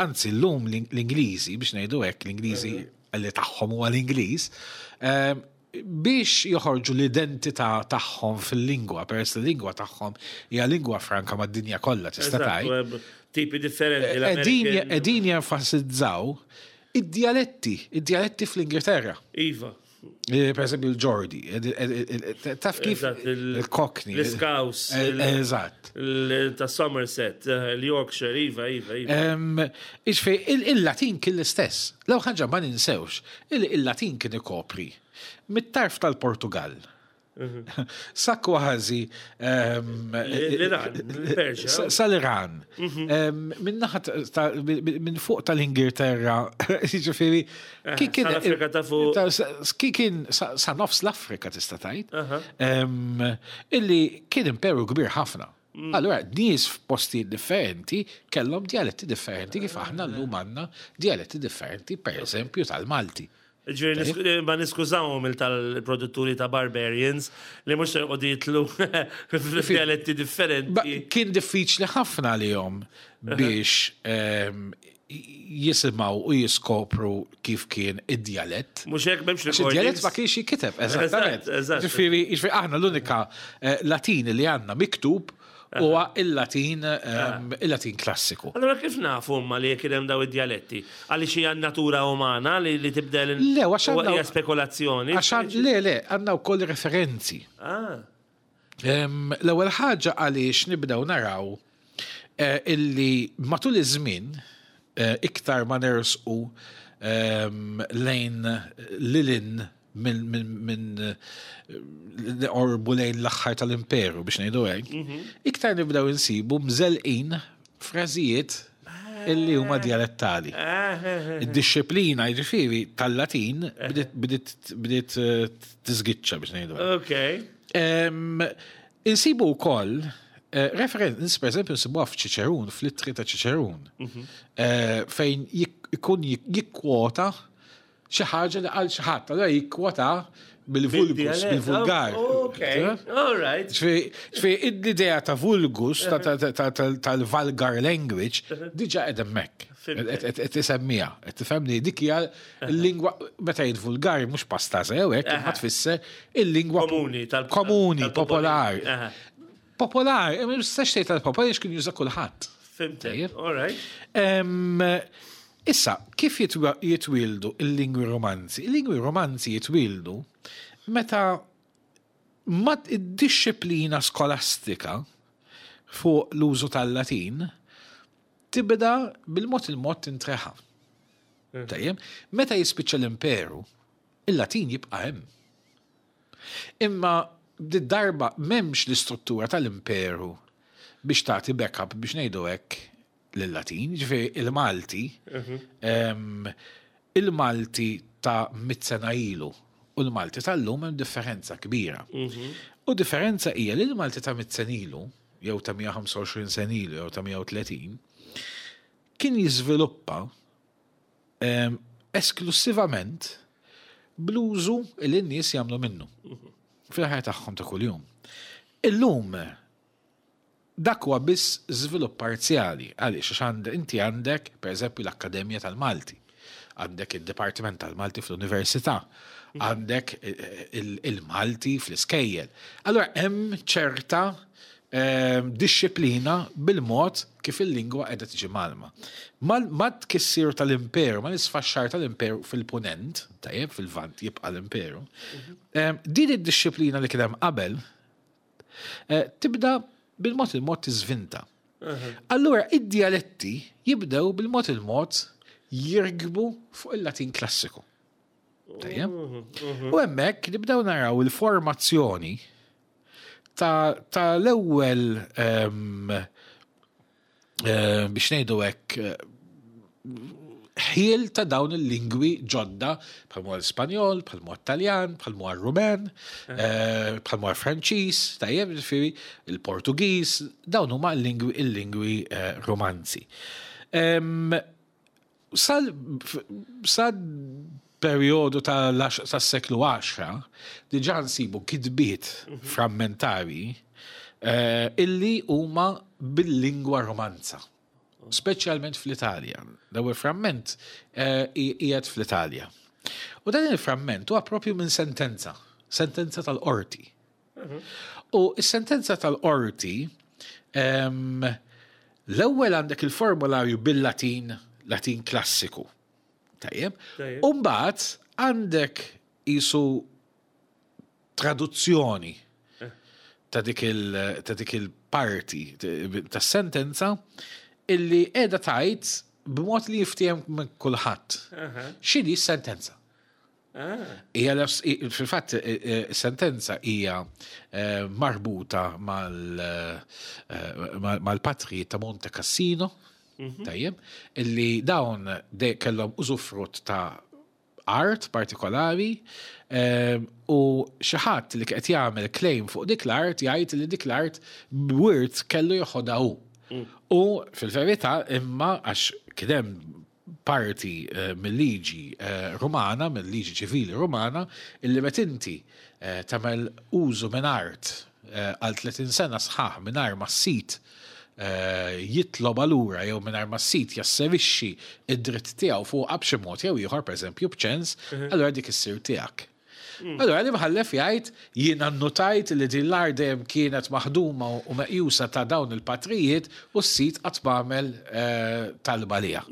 anzi llum l-Ingliżi, biex ngħidu hekk, l-Ingliżi li tagħhom huwa l-Ingliż, biex joħorġu l-identità tagħhom fil-lingwa, peress li l-lingwa tagħhom hija lingwa franka mad-dinja kollha tista' tgħid. Tipi differenti. Qegħdin jenfasizzaw id-djaletti, id-djaletti fl-Ingilterra. Iva. Per eżempju l-Ġordi, taf kif il-Cockney. L-Scouse. Eżatt. Ta' Somerset, l-Yorkshire, iva, iva, iva. Iġifieri, il-Latin kien l-istess. L-ewwel ħaġa ma ninsewx, il-Latin kien ikopri mit-tarf tal-Portugall sa kważi l-Iran, il-Persja. Sal-Iran. Minn fuq tal-Ingilterra, jiġifieri kien Afrika ta' fuq. Kien sa nofs l-Afrika tista' tgħid. Illi kien imperu kbir ħafna. Allura, nies f'postijiet differenti kellhom djaletti differenti kif aħna llum għandna djaletti differenti, per eżempju, tal-Malti. Ġifieri ma niskużawhom il tal-produtturi ta' Barbarians li mhux se joqogħdu jitlu f'djaletti differenti. Kien diffiċli ħafna għalihom biex jisimgħu u jiskopru kif kien id-djalett. Mhux hekk m'hemmx recordings. Id-djalett ma kienx jinkiteb, eżattament. Ġifieri aħna l-unika Latin li għandna miktub huwa il-Latin il-Latin klassiku. Allura kif nafu imma li kien hemm daw id-djaletti? Għaliex hija n-natura umana li tibdel Le, għax għandna hija spekulazzjoni. Għax le, le, għandna wkoll referenzi. Ah. L-ewwel ħaġa għaliex nibdew naraw illi matul iż-żmien iktar ma nersqu lejn lilin minn orbu lejn l-aħħar tal-imperu biex ngħidu hekk, iktar nibdew insibu mżelqin frażijiet illi huma dialettali. Id-dixxiplina jiġifieri tal-Latin bdiet tiżgiċċa biex ngħidu hekk. Insibu wkoll referenz, per eżempju, nsibuha f'Ċiċerun, fl-ittri ta' Ċiċerun, fejn ikun jikkwota. xi ħaġa li qal xi ħadd, allura jikkwota bil-vulgus, bil-vulgar. Ok, all right. Ġifieri l-idea ta' vulgus, tal-vulgar language, diġà qed hemmhekk. Qed isemmija, qed tifhemni dik hija l-lingwa meta jgħid vulgari mhux pasta sew hekk, imma tfisser il-lingwa komuni, komuni, popolari. Popolari, ma tistax tgħid tal-popolari għax kien juża kulħadd. Fimtek, all right. Issa, kif jitwieldu l-lingwi romanzi? Il-lingwi romanzi jitwieldu meta mat id-dixxiplina skolastika fuq l-użu tal-Latin tibda bil-mod il-mod tintreħa. Tajjeb, meta jispiċċa l-imperu, il-Latin jibqa' hemm. Imma darba m'hemmx l-istruttura tal-imperu biex tagħti backup biex ngħidu hekk lil-Latin, ġifieri il-Malti, il-Malti ta' mit sena ilu u l-Malti tal-lum hemm differenza kbira. U differenza hija li l-Malti ta' mit sena ilu, jew ta' 125 sena ilu, jew ta' 130, kien jiżviluppa esklusivament bl-użu li n-nies jagħmlu minnu fil-ħajja tagħhom ta' kuljum. Illum dak huwa biss żvilupp parzjali għaliex għax inti għandek pereżempju l-Akkademja tal-Malti, għandek id-Dipartiment tal-Malti fl-Università, għandek il-Malti fl-iskejjel. Allora hemm ċerta dixxiplina bil-mod kif il-lingwa qiegħda tiġi mgħallma. Ma tkissir tal-imperu, ma l-isfaxxar tal-imperu fil-punent, tajjeb, fil-vant jibqa' l-imperu, din id-dixxiplina li kien hemm qabel tibda bil-mod il-mod tiżvinta. Allura id-dialetti jibdew bil-mod il-mod jirkbu fuq il-Latin klassiku. Tajjeb? U hemmhekk nibdew naraw il-formazzjoni ta' l-ewwel biex ngħidu hekk ħiel ta' dawn il-lingwi ġodda bħalma l-Spanjol, bħalma Taljan, bħalma Rumen, bħalma Franċiż, tajjeb, ġifieri il-Portugiż, dawn huma l-lingwi il-lingwi romanzi. Sal sal perjodu tas-seklu 10 diġà nsibu kitbiet frammentari illi huma bil-lingwa romanza. Speċjalment fl-Italja. L-ewwel framment qiegħed fl-Italja. U dan il-framment huwa propju minn sentenza, sentenza tal-qorti. U s-sentenza tal-qorti l-ewwel għandek il-formularju bil-Latin, Latin klassiku. Tajjeb. U mbagħad għandek isu traduzzjoni ta' dik il-parti tas-sentenza illi qiegħda tgħid b'mod li jiftiehem minn kulħadd. X'inhi s-sentenza? Hija fil-fatt sentenza hija marbuta mal-patri ta' Monte Cassino, tajjeb, illi dawn kellhom użufrutt ta' art partikolari u xi ħadd li qed jagħmel claim fuq dik l-art jgħid li dik l-art b'wirt kellu joħodha hu. U fil-verità imma għax kien hemm parti mill-liġi Rumana, mill-liġi ċivili Rumana, illi meta inti tagħmel użu minn art għal 30 sena sħaħ mingħajr ma s-sid jitlob lura jew mingħajr ma s-sid jasserixxi id-dritt tiegħu fuqha b'xi mod jew ieħor, pereżempju b'ċens, allura dik issir tiegħek. Allura l-imħallef jgħid jiena nnotajt li din l-art dejjem kienet maħduma u meqjusa ta' dawn il-patrijiet u s-sid qatt m'għamel talba liha.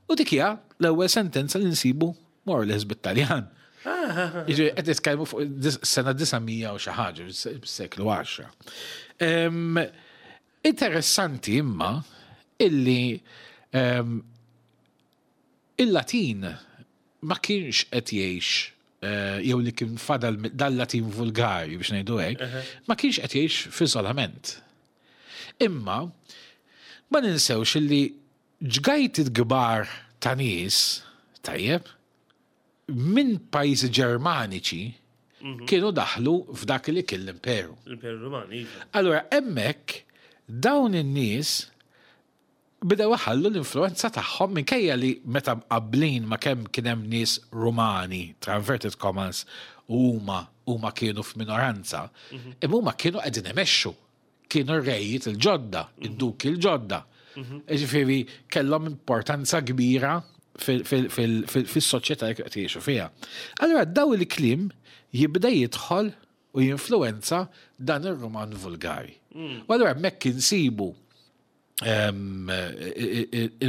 U dik hija l-ewwel sentenza li nsibu more or less bit-Taljan. Jiġifieri qed nitkellmu fuq sena 900 u xi ħaġa, seklu 10. Interessanti imma illi il-Latin ma kienx qed jgħix jew li kien fadal dal-Latin vulgari biex ngħidu hekk, ma kienx qed jgħix f'iżolament. Imma ma ninsewx illi ġgajti kbar ta' nies, tajjeb, minn pajjiżi Ġermaniċi kienu daħlu f'dak li kien l-imperu. L-Imperu Ruman, iva. Allora hemmhekk dawn in-nies Bdew iħallu l-influwenza tagħhom minkejja li meta mqabblin ma' kemm kien hemm nies Rumani, tra inverted commas, u huma huma kienu f'minoranza, imma huma kienu qegħdin imexxu. Kienu r-rejiet il-ġodda, id-duki l-ġodda. Ġifieri kellhom importanza kbira fis-soċjetà li qed jgħixu fiha. Allura daw il-kliem jibda jidħol u jinfluwenza dan ir-Ruman vulgari. U allura hemmhekk insibu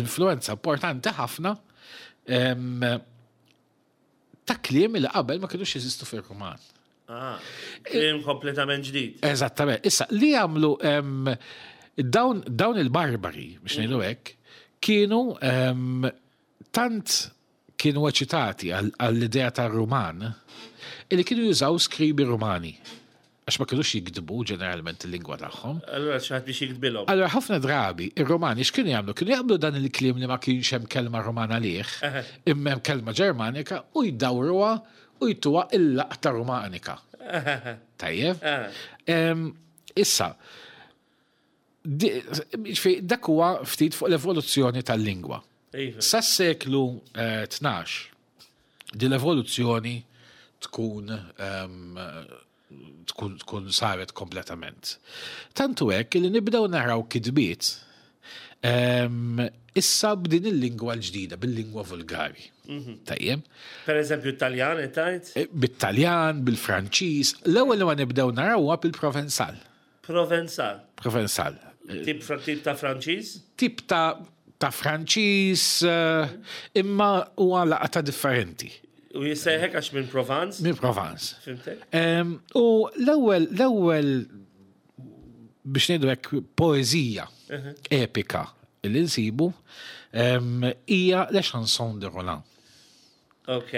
influenza importanti ħafna ta' kliem li qabel ma kienux jeżistu fil-Ruman. Ah, kliem kompletament ġdid. Eżattament. Issa, li għamlu dawn, dawn il-barbari, biex ngħidu hekk, kienu tant kienu eċitati għall-idea tar-Ruman illi kienu jużaw skribi Rumani għax ma kinux jiktbu ġeneralment il-lingwa tagħhom. Allura xi ħadd biex jiktbilhom. Allura ħafna drabi ir-Rumani x'kienu jagħmlu? Kienu jaqblu dan il-kliem li ma kienx hemm kelma Rumana għalih, imma hemm kelma Ġermanika u jdawruha u jtuha il-laqta Rumanika. Tajjeb? Issa, dak huwa ftit fuq l-evoluzzjoni tal-lingwa. Iva. Sas-seklu 12 eh, din l-evoluzzjoni tkun ehm, tkun tkun saret kompletament. Tantu hekk li nibdew naraw kitbiet ehm, issa b'din il-lingwa l-ġdida, bil-lingwa vulgari. Mhm. Tajjeb. Per eżempju, Taljan, tajt? Eh, bit-Taljan, bil-Franċiż, l-ewwel li ma nibdew naraw huwa bil-Provenzal. Provenzal. Provenzal. Tip, tip ta' Franċiż? Tip ta' ta' Franċiż, eh, imma huwa laqta differenti. U jissejħek għax minn Provence? Minn Provence. Fimtek? U l-ewwel l-ewwel biex ngħidu hekk poeżija epika li nsibu hija Le Chanson de Roland. Ok.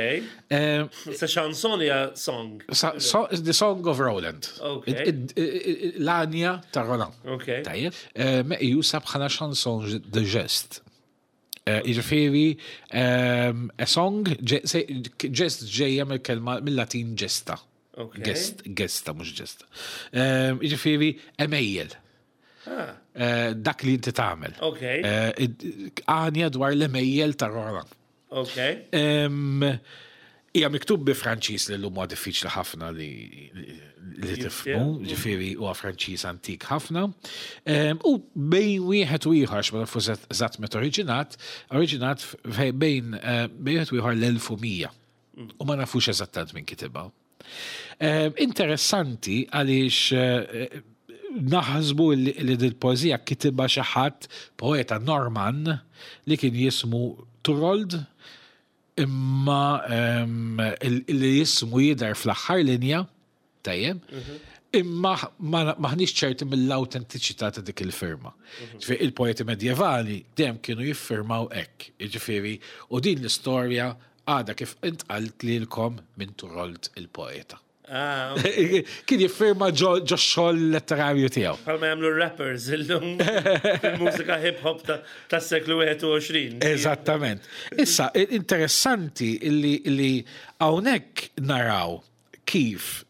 Sa chanson hija song. The Song of Roland. Ok. L-anja ta' Roland. Ok. Tajjeb. Meqjusa bħala chanson de geste. Jiġifieri a song, gest ġejja mill-kelma mill-Latin gesta. Gest, gesta, mhux ġesta. Jiġifieri emejjel. Ah. Dak li inti tagħmel. Ok. Għanja dwar l-emejjel ta' Roland. Ok. Hija miktub bi Franċiż li llum huwa diffiċli ħafna li li tifhmu, ġifieri huwa Franċiż antik ħafna. U bejn wieħed u ieħor, ma nafux eżatt meta oriġinat, oriġinat bejn eh, wieħed u ieħor l-1100. U ma nafux eżattament minn kitibha. Interessanti għaliex eh, naħsbu li dil-poezija kitibha xi ħadd poeta Norman li kien jismu Turold imma li jismu jidher fl-aħħar linja tajjeb mhm. imma maħniex ċerti mill-autentiċità ta' dik il-firma. Mhm. Ġifieri il-poeti medjevali dejjem kienu jiffirmaw hekk, jiġifieri u din l-istorja Għadha kif intqalt lilkom minn Turold il-poeta. Ah, Kien jiffirma ġo xogħol letterarju tiegħu. Bħalma jagħmlu rappers illum fil-mużika hip hop tas-seklu 21. Eżattament. Issa, interessanti li hawnhekk naraw kif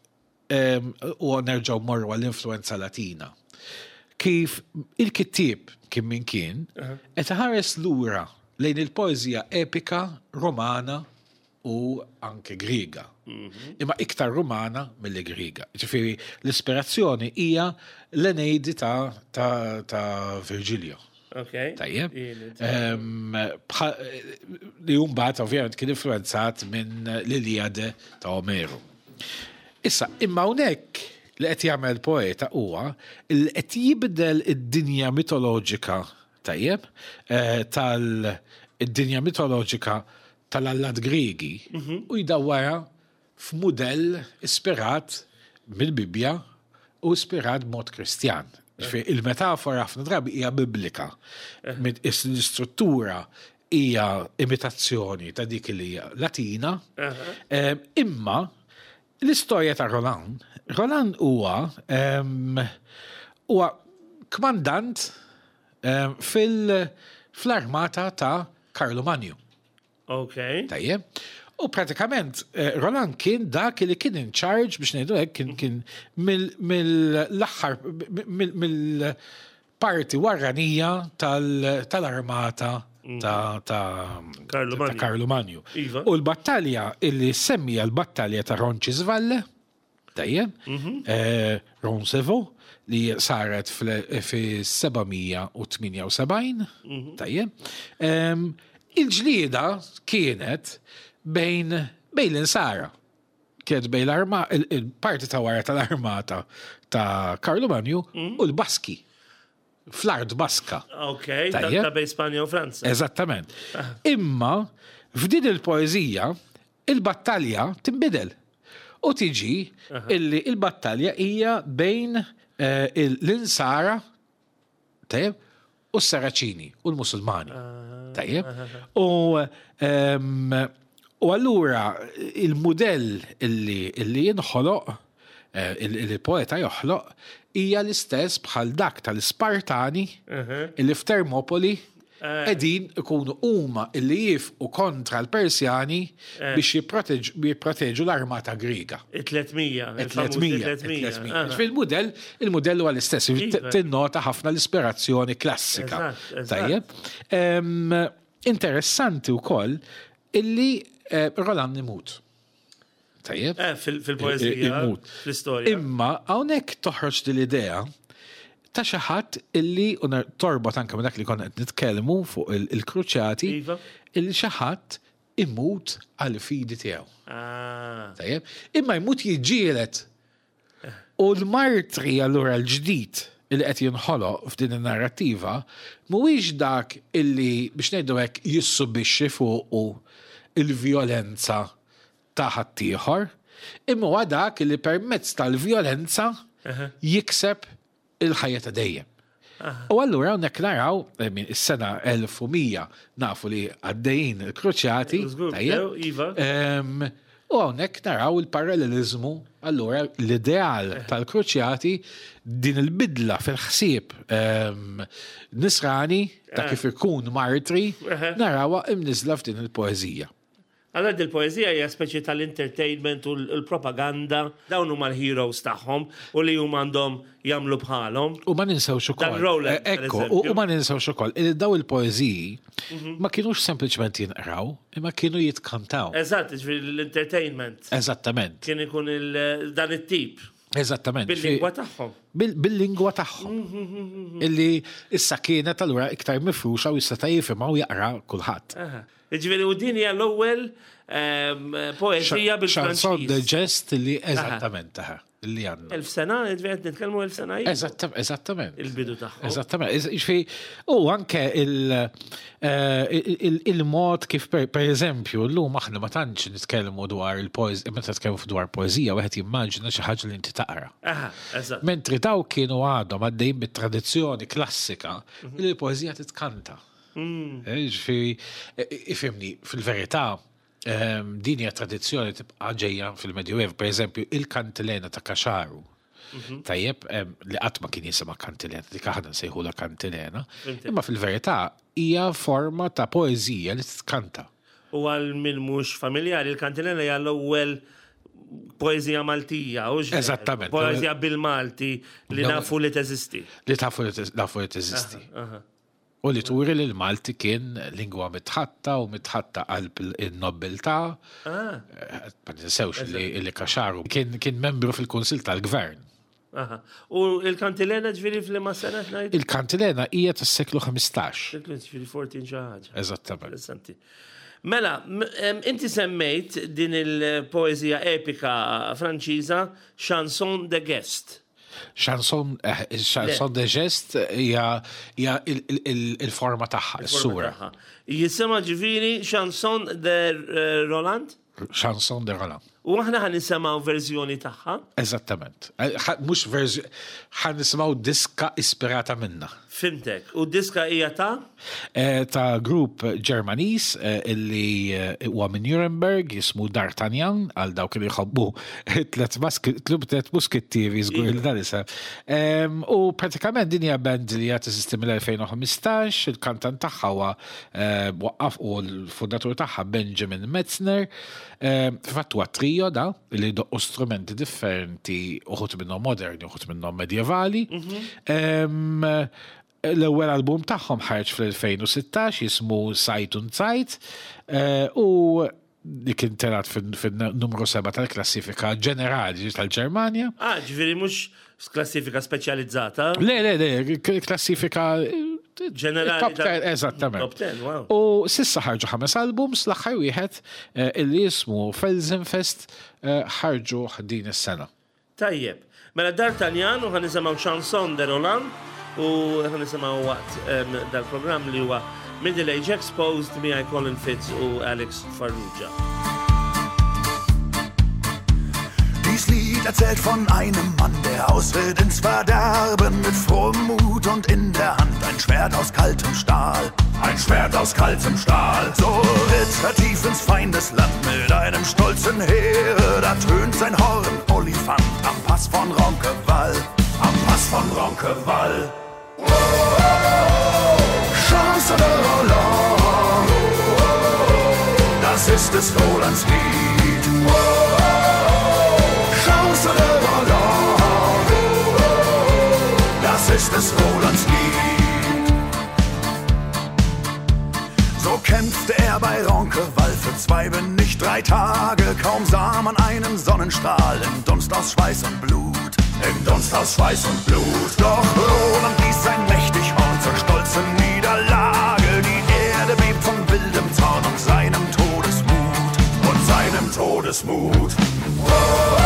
u nerġgħu morru għall-influenza Latina. Kif il-kittieb kien min kien, qed iħares lura lejn il-poeżija epika Romana u anke Griega. Mhm. Imma iktar Romana milli Griega. Ġifieri l-ispirazzjoni hija l-Eneidi ta', ta, ta Virgilio. Okay. Tajjeb. Li mbagħad ovvjament kien influenzat minn l-Iliade ta' Omeru. Issa, imma hawnhekk li qed jagħmel poeta huwa li qed jibdel id-dinja mitoloġika tajjeb eh, tal id-dinja mitoloġika tal-allat Griegi mhm. u jdawwara f'mudell ispirat mill-Bibbja u ispirat b'mod Kristjan. Ġifieri il-metafora ħafna drabi hija biblika. L-istruttura hija imitazzjoni ta' dik li hija Latina. Imma l-istorja ta' Roland, Roland huwa huwa kmandant fil-armata ta' Karlu Manju. Ok. Tajjeb. U pratikament eh, Roland kien dak li kien in charge biex ngħidu hekk kien kien mill-aħħar mill parti warranija tal-armata ta' Karlu Manju. Iva. U l-battalja illi semmija l-battalja ta' Roncisvalle, tajjeb, Roncevaux, li saret fi 778, tajjeb. Il-ġlieda kienet bejn bejn l-insara. Kienet bejn l-arma, il-parti ta' wara tal-armata ta' Karlu Manju u l-Baski. Fl-art Baska. Ok, ta' bejn Spanja u Franza. Eżattament. Imma f'din il-poeżija il-battalja tinbidel. U tiġi illi il-battalja hija bejn l-insara, tajjeb, u s-Saraċini u l-Musulmani. Tajjeb. U allura il-mudell illi jinħoloq, il-poeta joħloq, hija l-istess bħal dak tal-Spartani illi f'Termopoli qegħdin ikunu huma illi jifqu kontra l-Persjani biex jipproteġu l-armata Griega. Il-300. Il-300. Il-300. Fil-mudell, il-mudell huwa l-istess, tinnota ħafna l-ispirazzjoni klassika. Tajjeb. Interessanti wkoll illi Roland imut. Tajjeb. Fil-poeżija. Imut. Fl-istorja. Imma hawnhekk toħroġ din l-idea ta' xi ħadd illi torbot anke minn dak li konna qed nitkellmu fuq il-kruċjati, illi xi ħadd imut għal fidi tiegħu. Tajjeb. Imma jmut jiġġieled. U l-martri allura l-ġdid illi qed jinħoloq f'din in-narrattiva mhuwiex dak illi biex ngħidu hekk jissubixxi fuqu il-vjolenza ta' ħaddieħor, imma huwa dak illi permezz tal-vjolenza jikseb il-ħajja ta' dejjem. U allura hawnhekk naraw minn is-sena 1100 nafu li għaddejjin il-kruċjati, tajjeb? Iva. U hawnhekk naraw il-parallelizmu, allura l-ideal tal-kruċjati, din il-bidla fil-ħsieb nisrani ta' kif ikun martri, narawha imniżla f'din il-poeżija. Allora il-poeżija hija speċi tal-entertainment u l-propaganda, dawn huma l-heroes tagħhom u li huma għandhom jagħmlu bħalhom. U ma ninsewx ukoll. Dan Roland, per Ekku, eżempju. u ma ninsewx ukoll, li daw il-poeżiji ma kienux sempliċement jinqraw, imma kienu jitkantaw. Eżatt, ġifieri l-entertainment. Eżattament. Kien ikun dan it-tip. Eżattament. Bil-lingwa tagħhom. Bil-lingwa tagħhom. Illi issa kienet allura iktar mifruxa u issa ta' jifhimha u jaqra kulħadd. Ġifieri u din hija l-ewwel poeżija bil-Franċiż. Chanson de geste li eżattament taħ, li għandna. 1000 sena, ġifieri qed nitkellmu 1000 sena ilu. Eżattament. Il-bidu tagħhom. Eżattament. Ġifieri, u anke il-mod kif per eżempju, llum aħna ma tantx nitkellmu dwar il-poeżija, meta nitkellmu dwar poeżija, wieħed jimmaġina xi ħaġa li inti taqra. Aha, eżatt. Mentri daw kienu għadhom għaddejjin bit-tradizzjoni klassika li l-poeżija titkanta. Ġifieri, ifhimni, fil-verità, din hija tradizzjoni tibqa' ġejja fil-Medjuev, per eżempju, il-kantilena ta' Kaxaru. Tajjeb, li qatt ma kien jisimha kantilena, dik aħna nsejħulha kantilena, imma fil-verità hija forma ta' poeżija li titkanta. U għal min mhux familjari, il-kantilena hija l-ewwel poeżija Maltija, u x'ġer? Eżattament. Poeżija bil-Malti li nafu li teżisti. Li nafu li teżisti. U li turi li l-Malti kien lingwa mitħatta u mitħatta qalb il-nobiltà. Ma ninsewx li Kaxaru kien membru fil-Kunsill tal-Gvern. U il-kantilena ġifieri f'liema sena ngħid? Il-kantilena hija tas-seklu 15. Seklu ġifieri 14 xi ħaġa. Eżattament. Interessanti. Mela, inti semmejt din il-poeżija epika Franċiża Chanson de Geste. Chanson de Geste hija il-forma tagħha, Il-forma is-sura. tagħha. Jisimha ġifieri Chanson de Roland? Chanson de Roland. U aħna ħa nisimgħu verżjoni tagħha. Eżattament. Mhux verżjoni, ħa nisimgħu diska ispirata minna. Fimtek. U diska hija ta'? Ta' grupp Ġermaniż illi huwa minn Nuremberg, jismu D'Artagnan, għal dawk li jħobbu tliet muskittieri żgur li dan isem. U pratikament din hija band li hija teżisti mill-2015, il-kantant tagħha huwa waqqaf u l-fundatur tagħha Benjamin Metzner. Fil-fatt huwa trio da li doqqu strumenti differenti, uħud minnhom moderni, uħud minnhom medjevali. L-ewwel album tagħhom ħareġ fl-2016 jismu Sight und Zeit eh, u li kien telat fin-numru 7 tal-klassifika ġenerali tal-Ġermanja. Ah, ġifieri mhux klassifika speċjalizzata? Le, le, le, klassifika eh, ġenerali. Top 10, eżattament. Top 10, wow. U sissa ħarġu ħames albums, l-aħħar wieħed eh, illi jismu Felsenfest ħarġu din is-sena. Tajjeb. Mela D'Artagnan u ħa nisimgħu Chanson de Roland u ħa nisimgħu waqt dal-programm li huwa Middle Age Exposed miegħi Colin Fitz u Alex Farrugia. Dies Lied erzählt von einem Mann, der ausritt ins Verderben mit frohem Mut und in der Hand ein Schwert aus kaltem Stahl. Ein Schwert aus kaltem Stahl. So ritt er tief ins Feindesland mit einem stolzen Heere. Da tönt sein Horn, Olifant, am Pass von Ronkewall. Am Pass von Ronkewall. Oh, oh, oh, Chance de Roland. Das ist des Rolands Lied. Oh, oh, Chance de Roland. Das ist des Rolands Lied. So kämpfte er bei Ronkewall für zwei, wenn nicht drei Tage. Kaum sah man einen Sonnenstrahl im Dunst aus Schweiß und Blut. Im Dunst aus Schweiß und Blut. Doch Roland ließ sein mächtig Horn zur stolzen Niederlage. Die Erde bebt von wildem Zorn und seinem Todesmut. Und seinem Todesmut. Oh, oh, oh,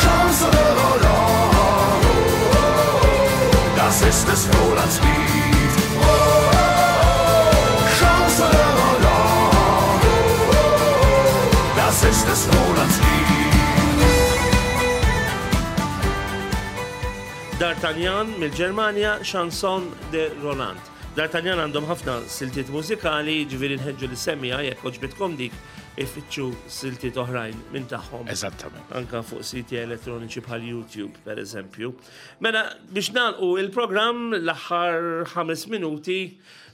Chance de Roland. Das ist des Rolands Lied. Oh, oh, oh, Chance de Roland. Das ist des Rolands Lied. D'Artagnan mill-Ġermanja, Chanson de Roland. D'Artagnan għandhom ħafna siltiet mużikali, ġifieri nħeġġu lis-semmiegħa jekk għoġbitkom dik ifittxu siltiet oħrajn minn tagħhom. Eżattament. Anka fuq siti elettroniċi bħal YouTube, per eżempju. Mela, biex nagħlqu il-programm l-aħħar ħames minuti,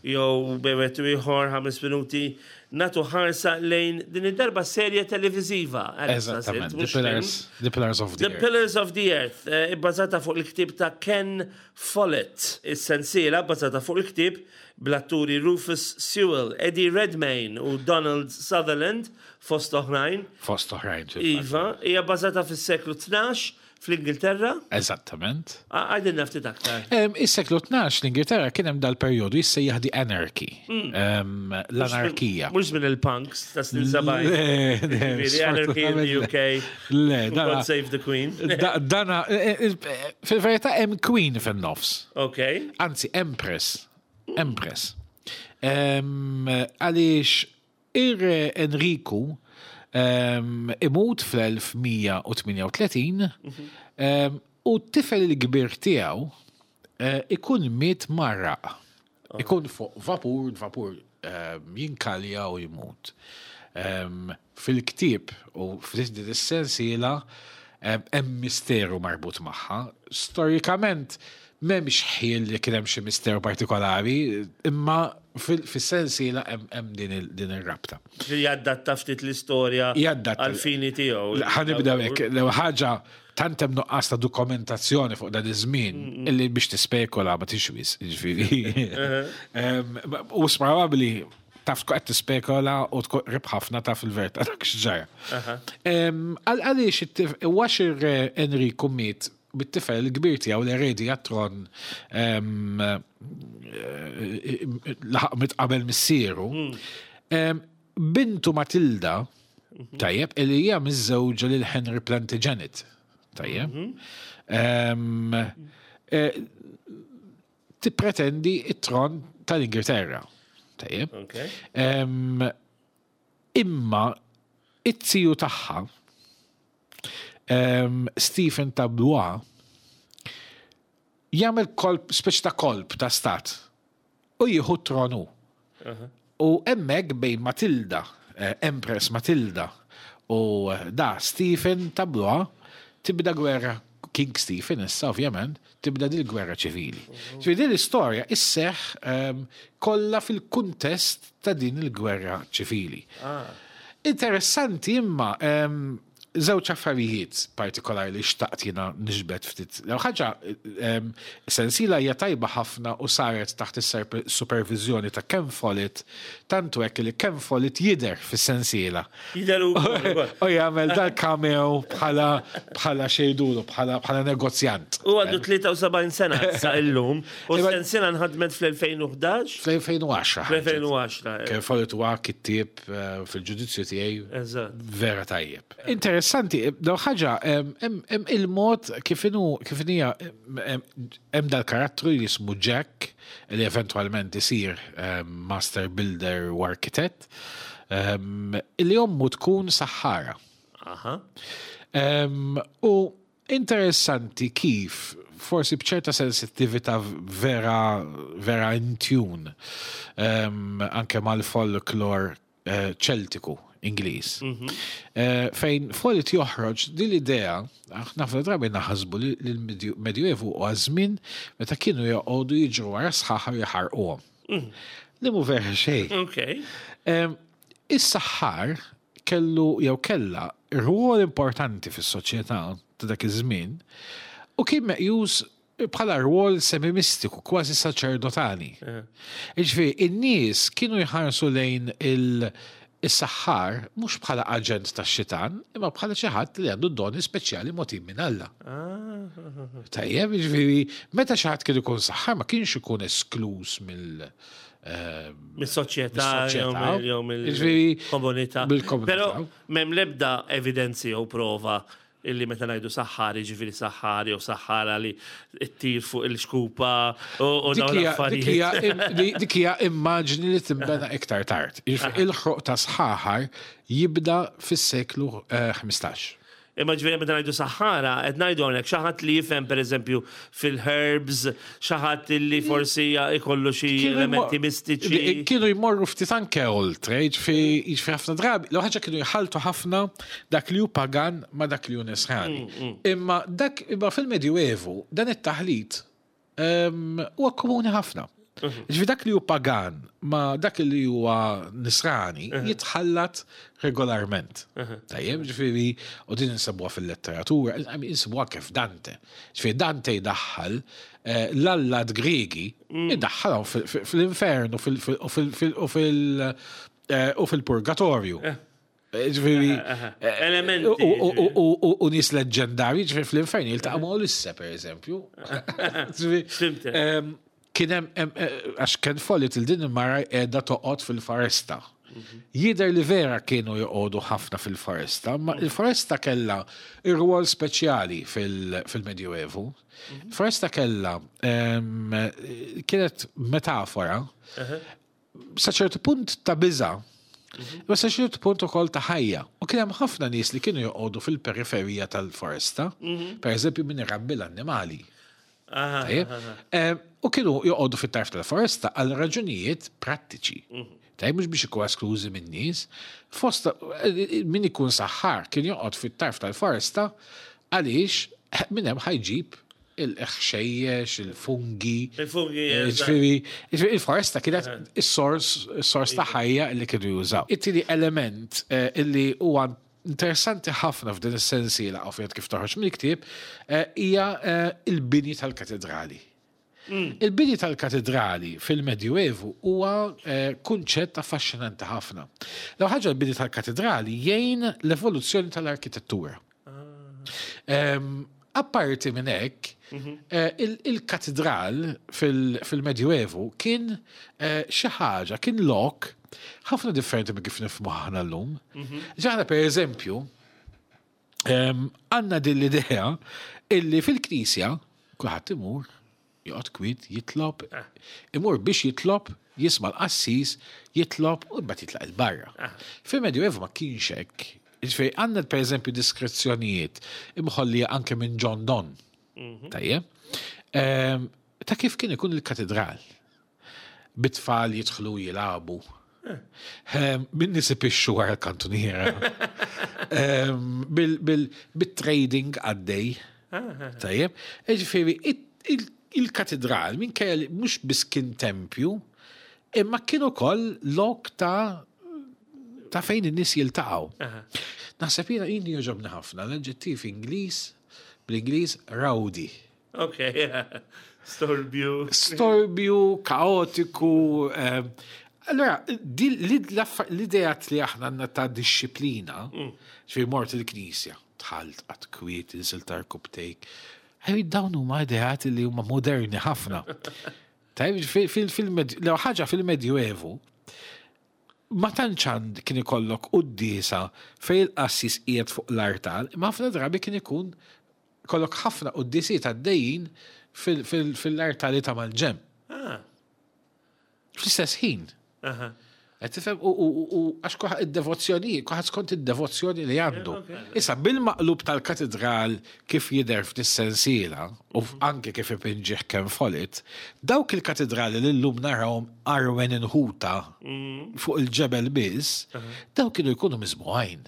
jew bejwet ieħor ħames minuti, nagħtu ħarsa lejn din id-darba serje televiżiva. Eżattament, The Pillars, The Pillars of the, the Earth. Pillars of the Earth, eh, ibbażata fuq il-ktieb ta' Ken Follett. Is-sensiela bbażata fuq il-ktieb bl-atturi Rufus Sewell, Eddie Redmayne u Donald Sutherland fost oħrajn. Fost oħrajn. Iva, hija bbażata fis-seklu 12 fl-Ingilterra? Eżattament. Għajdilna ftit aktar. Is-seklu 12 l-Ingilterra kien hemm dal-perjodu jissejjaħ the anarchy. Hmm. L-anarkija. Mhux minn il-punks ta' snin 70. Anarchy in the UK. Le, God save the Queen. Dana, e, e, e, fil-verità hemm Queen fin-nofs. Ok. Anzi, Empress. Empress. Għaliex Ir-Re Enriku imut fl-1138 u t-tifel il-kbir tiegħu eh, ikun miet marraq. Oh. Ikun fuq vapur, vapur jinkalja u jmut. Fil-ktieb u f'din is-sensiela hemm misteru marbut magħha. Storikament m'hemmx ħiel li kien hemm xi misteru partikolari, imma fis-sensiela hemm din ir-rabta. Ġifieri jaddatta ftit l-istorja għall-fini tiegħu. Ħa nibda hekk, l-ewwel ħaġa tant hemm nuqqas ta' dokumentazzjoni fuq dan iż-żmien illi biex tispekula ma tixwis, jiġifieri. U probabbli taf tkun qed tispekola u tkun qrib ħafna taf il-verità dak x'ġara. Għaliex għax ir-re Enriku miet bit-tifel il-kbir tiegħu l-eredi għat-tron laħaq mit qabel missieru. Hmm. Bintu Matilda, mhm. tajjeb, li hija miżżewġa lil Henry Plantagenet. Tajjeb. Mhm. Eh, tippretendi it-tron tal-Ingilterra. Tajjeb. Imma it-tiju tagħha Stephen ta' Blois jagħmel kolp, speċi ta' kolp ta' stat u jieħu t-tron hu. U hemmhekk bejn Matilda, eh, Empress Matilda u eh, da Stephen ta' Blois tibda gwerra King Stephen issa ovvjament tibda dil gwerra ċivili. Ġifieri din l-istorja isseħ ehm, kollha fil-kuntest ta' din il-gwerra ċivili. Ah. Interessanti imma ehm, Żewġ affarijiet partikolari li xtaqt jiena niġbed ftit. L-ewwel ħaġa, sensiela hija tajba ħafna u saret taħt is-superviżjoni ta' Ken Follett, tant hu hekk li Ken Follett jidher fis-sensiela. Jidher hu wkoll. U jagħmel dal-cameo bħala bħala x'jgħidulu bħala bħala negozjant. Hu għandu 73 sena issa illum u s-sensiela nħadmet fl-2011. Fl-2010. Fl-2010. Ken Follett huwa kittieb fil-ġudizzju tiegħi vera tajjeb. Interessanti, daw ħaġa, hemm il-mod kif inhu kif hija hemm dal-karattru li jismu Jack li eventwalment isir master builder u arkitett li ommu tkun saħħara. U interessanti kif forsi b'ċerta sensittività vera vera in tune anke mal-folklor Ċeltiku Ingliż. Fejn Follett joħroġ din l-idea, aħna ħafna drabi naħsbu li l-Medjuevu huwa żmien meta kienu joqogħdu jiġru wara sħaħar u jaħarquhom. Li mhu vera xejn. Is-saħħar kellu jew kellha rwol importanti fis-soċjetà ta' dak iż-żmien u kien meqjus bħala rwol semimistiku, kważi saċerdotali. Jiġifieri, in-nies kienu jħarsu lejn is-saħħar mhux bħala aġent tax-xitan, imma bħala xi ħadd li għandu doni speċjali mogħtijin minn Alla. Tajjeb, jiġifieri, meta xi ħadd kien ikun saħħar ma kienx ikun eskluż mill- Mis-soċjetà jew mill-komunità. Però m'hemm l-ebda evidenzi jew prova illi meta ngħidu saħħar, jiġifieri saħħar jew saħħara li ttir fuq il-xkupa u dawn l-affarijiet. Dik hija immaġni li tinbena iktar tard. Il-ħruq ta' sħaħar jibda fis-seklu 15. Imma ġifieri meta ngħidu saħħara, qed ngħidu hawnhekk xi ħadd li jifhem pereżempju fil-herbs, xi ħadd li forsi ikollu xi elementi mistiċi. Kienu jmorru ftit anke oltre, jiġifieri ħafna drabi, l ħaġa kienu jħalltu ħafna dak li hu pagan ma' dak li hu nisrani. Imma dak imma fil-Medjuevu dan it-taħlit huwa komuni ħafna. Ġifieri dak li hu pagan ma dak li huwa nisrani jitħallat regolarment. Tajjeb, ġifieri, u din insibuha fil-letteratura, insibuha kif Dante. Ġifieri Dante jdaħħal eh, l-allat Griegi, idaħħalhom fl-infern u eh, fil-purgatorju. Eh. Ġifieri. Elementi. U nies leġġendarji, ġifieri fl-infern jiltaqa' ma' Ulisse, per eżempju. Kien hemm għax Ken Follett il din il-mara qiegħda toqgħod fil-foresta. Mhm. Jidher li vera kienu joqogħdu ħafna fil-foresta, ma mhm. il-foresta kellha ir-rwol speċjali fil-Medjuevu. Mhm. Foresta kellha kienet metafora sa ċertu punt ta' biża', imma sa ċertu punt ukoll ta' ħajja. U kien hemm ħafna nies li kienu joqogħdu fil-periferija tal-foresta, per eżempju min irabbi l-annimali. U kienu joqogħdu fit-tarf tal-foresta għal raġunijiet prattiċi. Mhm. Tajjeb mhux biex ikun esklużi minn nies. Fost eh, min ikun saħħar kien joqgħod fit-tarf tal-foresta għaliex minn hemm ħajġib il-ħxejjex, il-fungi. Il-fungi, eh, ġifieri, il-foresta kienet eh. is-sors, is-sors ta' ħajja li kienu jużaw. It-tieni element eh, illi huwa interessanti ħafna f'din is-sensiela ovvjament kif toħroġ mill-ktieb hija il-bini tal-katedrali. Mm. Il-bini tal-katedrali fil-Medjuevu huwa kunċett affaxxinanti ħafna. L ħaġa l-bini tal-katedrali jgħin l-evoluzzjoni tal-arkitettura. Apparti minn hekk, mhm. eh, il-katedral fil-Medjuevu kien eh, xi ħaġa, kien lok ħafna differenti minn kif nifhmu aħna llum. Mhm. Ġaħna per eżempju, għandna din l-idea illi fil-knisja kulħadd imur Joqgħod kwiet, jitlob, imur biex jitlob, jisma' l-qassis, jitlob u mbagħad jitlaq 'il barra. Fil-Medjuevu ma kienx hekk. Jiġifieri għandna pereżempju diskrezzjonijiet imħollija anke minn John Donne. Mhm. Tajjeb. Ehm, ta' kif kien ikun il-katedral. Bit-tfal jidħlu jilagħbu. Ehm, min nies ipixxu wara l-kantuniera. Ehm, bil-trading għaddej. Tajjeb. Ġifieri, il-katedral minkejja li mhux biss kien tempju, imma kien ukoll lok ta' ta' fejn in-nies jiltaqgħu. Naħseb jiena jien jogħġobni ħafna l-aġġettiv Ingliż bl-Ingliż rowdy. Ok, storbju. Storbju, kaotiku. Ehm, allora, l-idea li aħna għandna ta' disċiplina, mm. ġifieri mort il-knisja, tħalt għat kwiet, insil tarkubtejk. Ħaj dawn huma ideat li huma moderni ħafna. Tajb, fil-medju, ħaġa fil-Medjuevu, ma tantx għand kien ikollok quddiesa fejn il-qassis qiegħed fuq l-artal, imma ħafna drabi kien ikun kollok ħafna quddisiet għaddejjin fil-artali ta' mal-ġenb. Ah. Fl-istess ħin. Qed tifhem u għax kulħadd id-devozzjoni, kulħadd skont id-devozzjoni li għandu. Issa bil-maqlub tal-katedral kif jidher f'dis-sensiela u anke kif ipinġih Ken Follett, dawk il-katedrali li llum narawhom arwen inħuta mm. fuq il-ġebel biss, dawk kienu jkunu miżbugħin.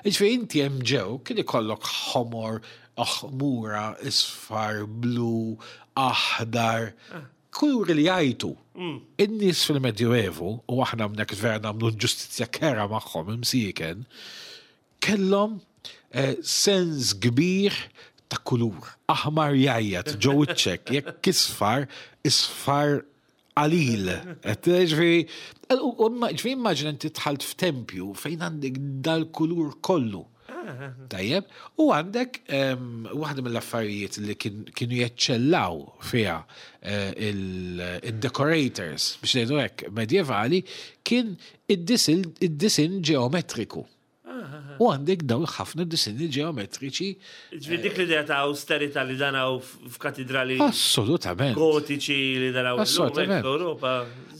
Jiġifieri inti hemm ġew kien ikollok ħomor, ħmura, isfar, blu, aħdar, ah. kuluri li jgħajtu. Mm. In-nies fil-Medjuevu, u aħna hawnhekk vera nagħmlu ġustizzja kera magħhom imsieken, kellhom eh, sens kbir ta' kulur. Aħmar jgħajjat ġo wiċċek, jekk isfar, isfar qalil. Ġifieri, ġifieri immaġina inti dħalt f'tempju fejn għandek dal-kulur kollu. Tajjeb, u għandek waħda mill-affarijiet li kienu jeċċellaw fiha eh, il-decorators, biex ngħidu hekk, medjevali, kien id-disin ġeometriku. U għandek dawn ħafna disinni ġeometriċi. Ġifieri dik l-idea ta' austerità li danaw f'katidrali. Assolutament. Gotiċi li danaw Assolutament. Ewropa.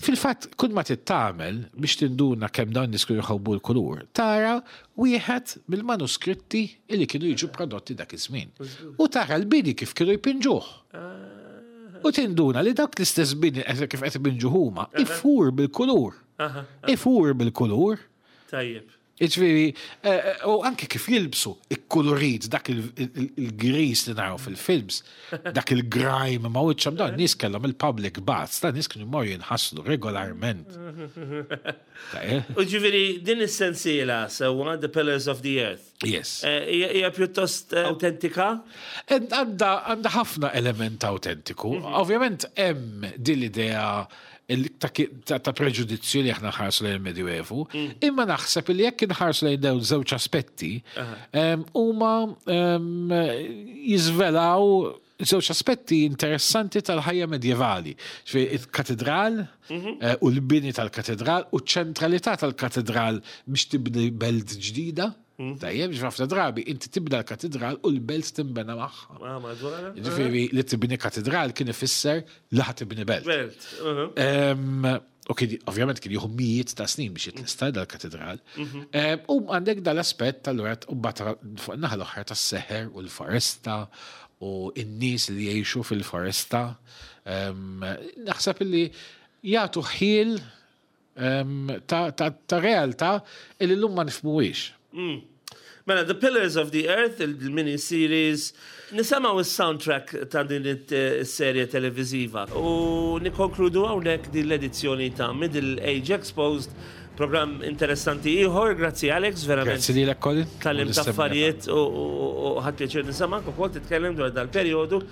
Fil-fatt, kull ma tittamel biex tinduna kemm dawn nies kienu jħobbu l-kulur, tara wieħed mill-manuskritti li kienu jiġu prodotti dak iż-żmien. U tara l-bini kif kienu jpinġuh. U tinduna li dak l-istess bini kif qed ipinġuh huma, ifur bil-kulur. Ifur bil-kulur. Tajjeb. Jiġifieri, eh, eh, u anke kif jilbsu ikkulurit dak il-gris li naraw fil-films, dak il-grime ma' wiċċhom dawn nies kellhom il-public baths, dan nies kienu jmorru jinħaslu regolarment. U ġifieri din is-sensiela sewwa The Pillars of the Earth. Yes. Eh, hija pjuttost autentika? Għandha ħafna element autentiku. Mhm. Ovvjament hemm din l-idea ta' preġudizzju li aħna nħarsu lejn il-Medjuevu, mm. imma naħseb li jekk inħarsu lejn dawn żewġ aspetti, huma jiżvelaw żewġ aspetti interessanti tal-ħajja medjevali. Il-katedral mhm. eh, u l-bini tal-katedral u ċ-ċentralità tal-katedral biex tibni belt ġdida. Mm. Tajjeb, ħafna drabi, inti tibda l-katedral u l-belt timbena magħha. Ah, Ġifieri li tibni katedral kien ifisser li ħa tibni belt. Belt. Uh-huh. U kien ovvjament kien jieħu mijiet ta' snin biex jitlesta dal-katedral. Mhm. U għandek dal-aspett tal-wet u bata fuq naħa l-oħra tas-seħer u l-foresta u n-nies li jgħixu fil-foresta. Naħseb li jagħtu ħiel ta' realtà li llum ma nifhmuhiex. Mm. Mela, The Pillars of the Earth, il-mini series, nisimgħu is-soundtrack ta' din is-serje televiżiva u nikkonkludu hawnhekk din l-edizzjoni ta' Middle Age Exposed, programm interessanti ieħor, grazzi Alex, verament. Grazzi lilek Colin. Tgħallimt affarijiet u ħadt pjaċir nisimgħek ukoll titkellem dwar dal-perjodu.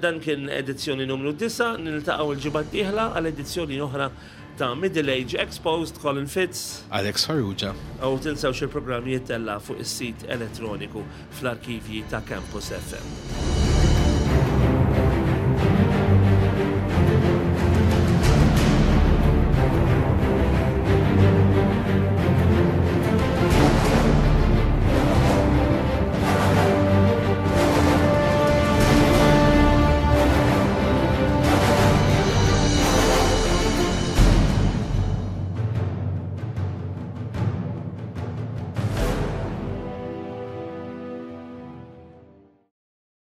Dan kien edizzjoni numru 9, niltaqgħu l-ġimgħa d-dieħla għal edizzjoni oħra ta' Middle Age Exposed, Colin Fitz. Alex Farrugia. U tinsewx il-programm jittella' fuq is-sit elettroniku fl-arkivji ta' Campus FM.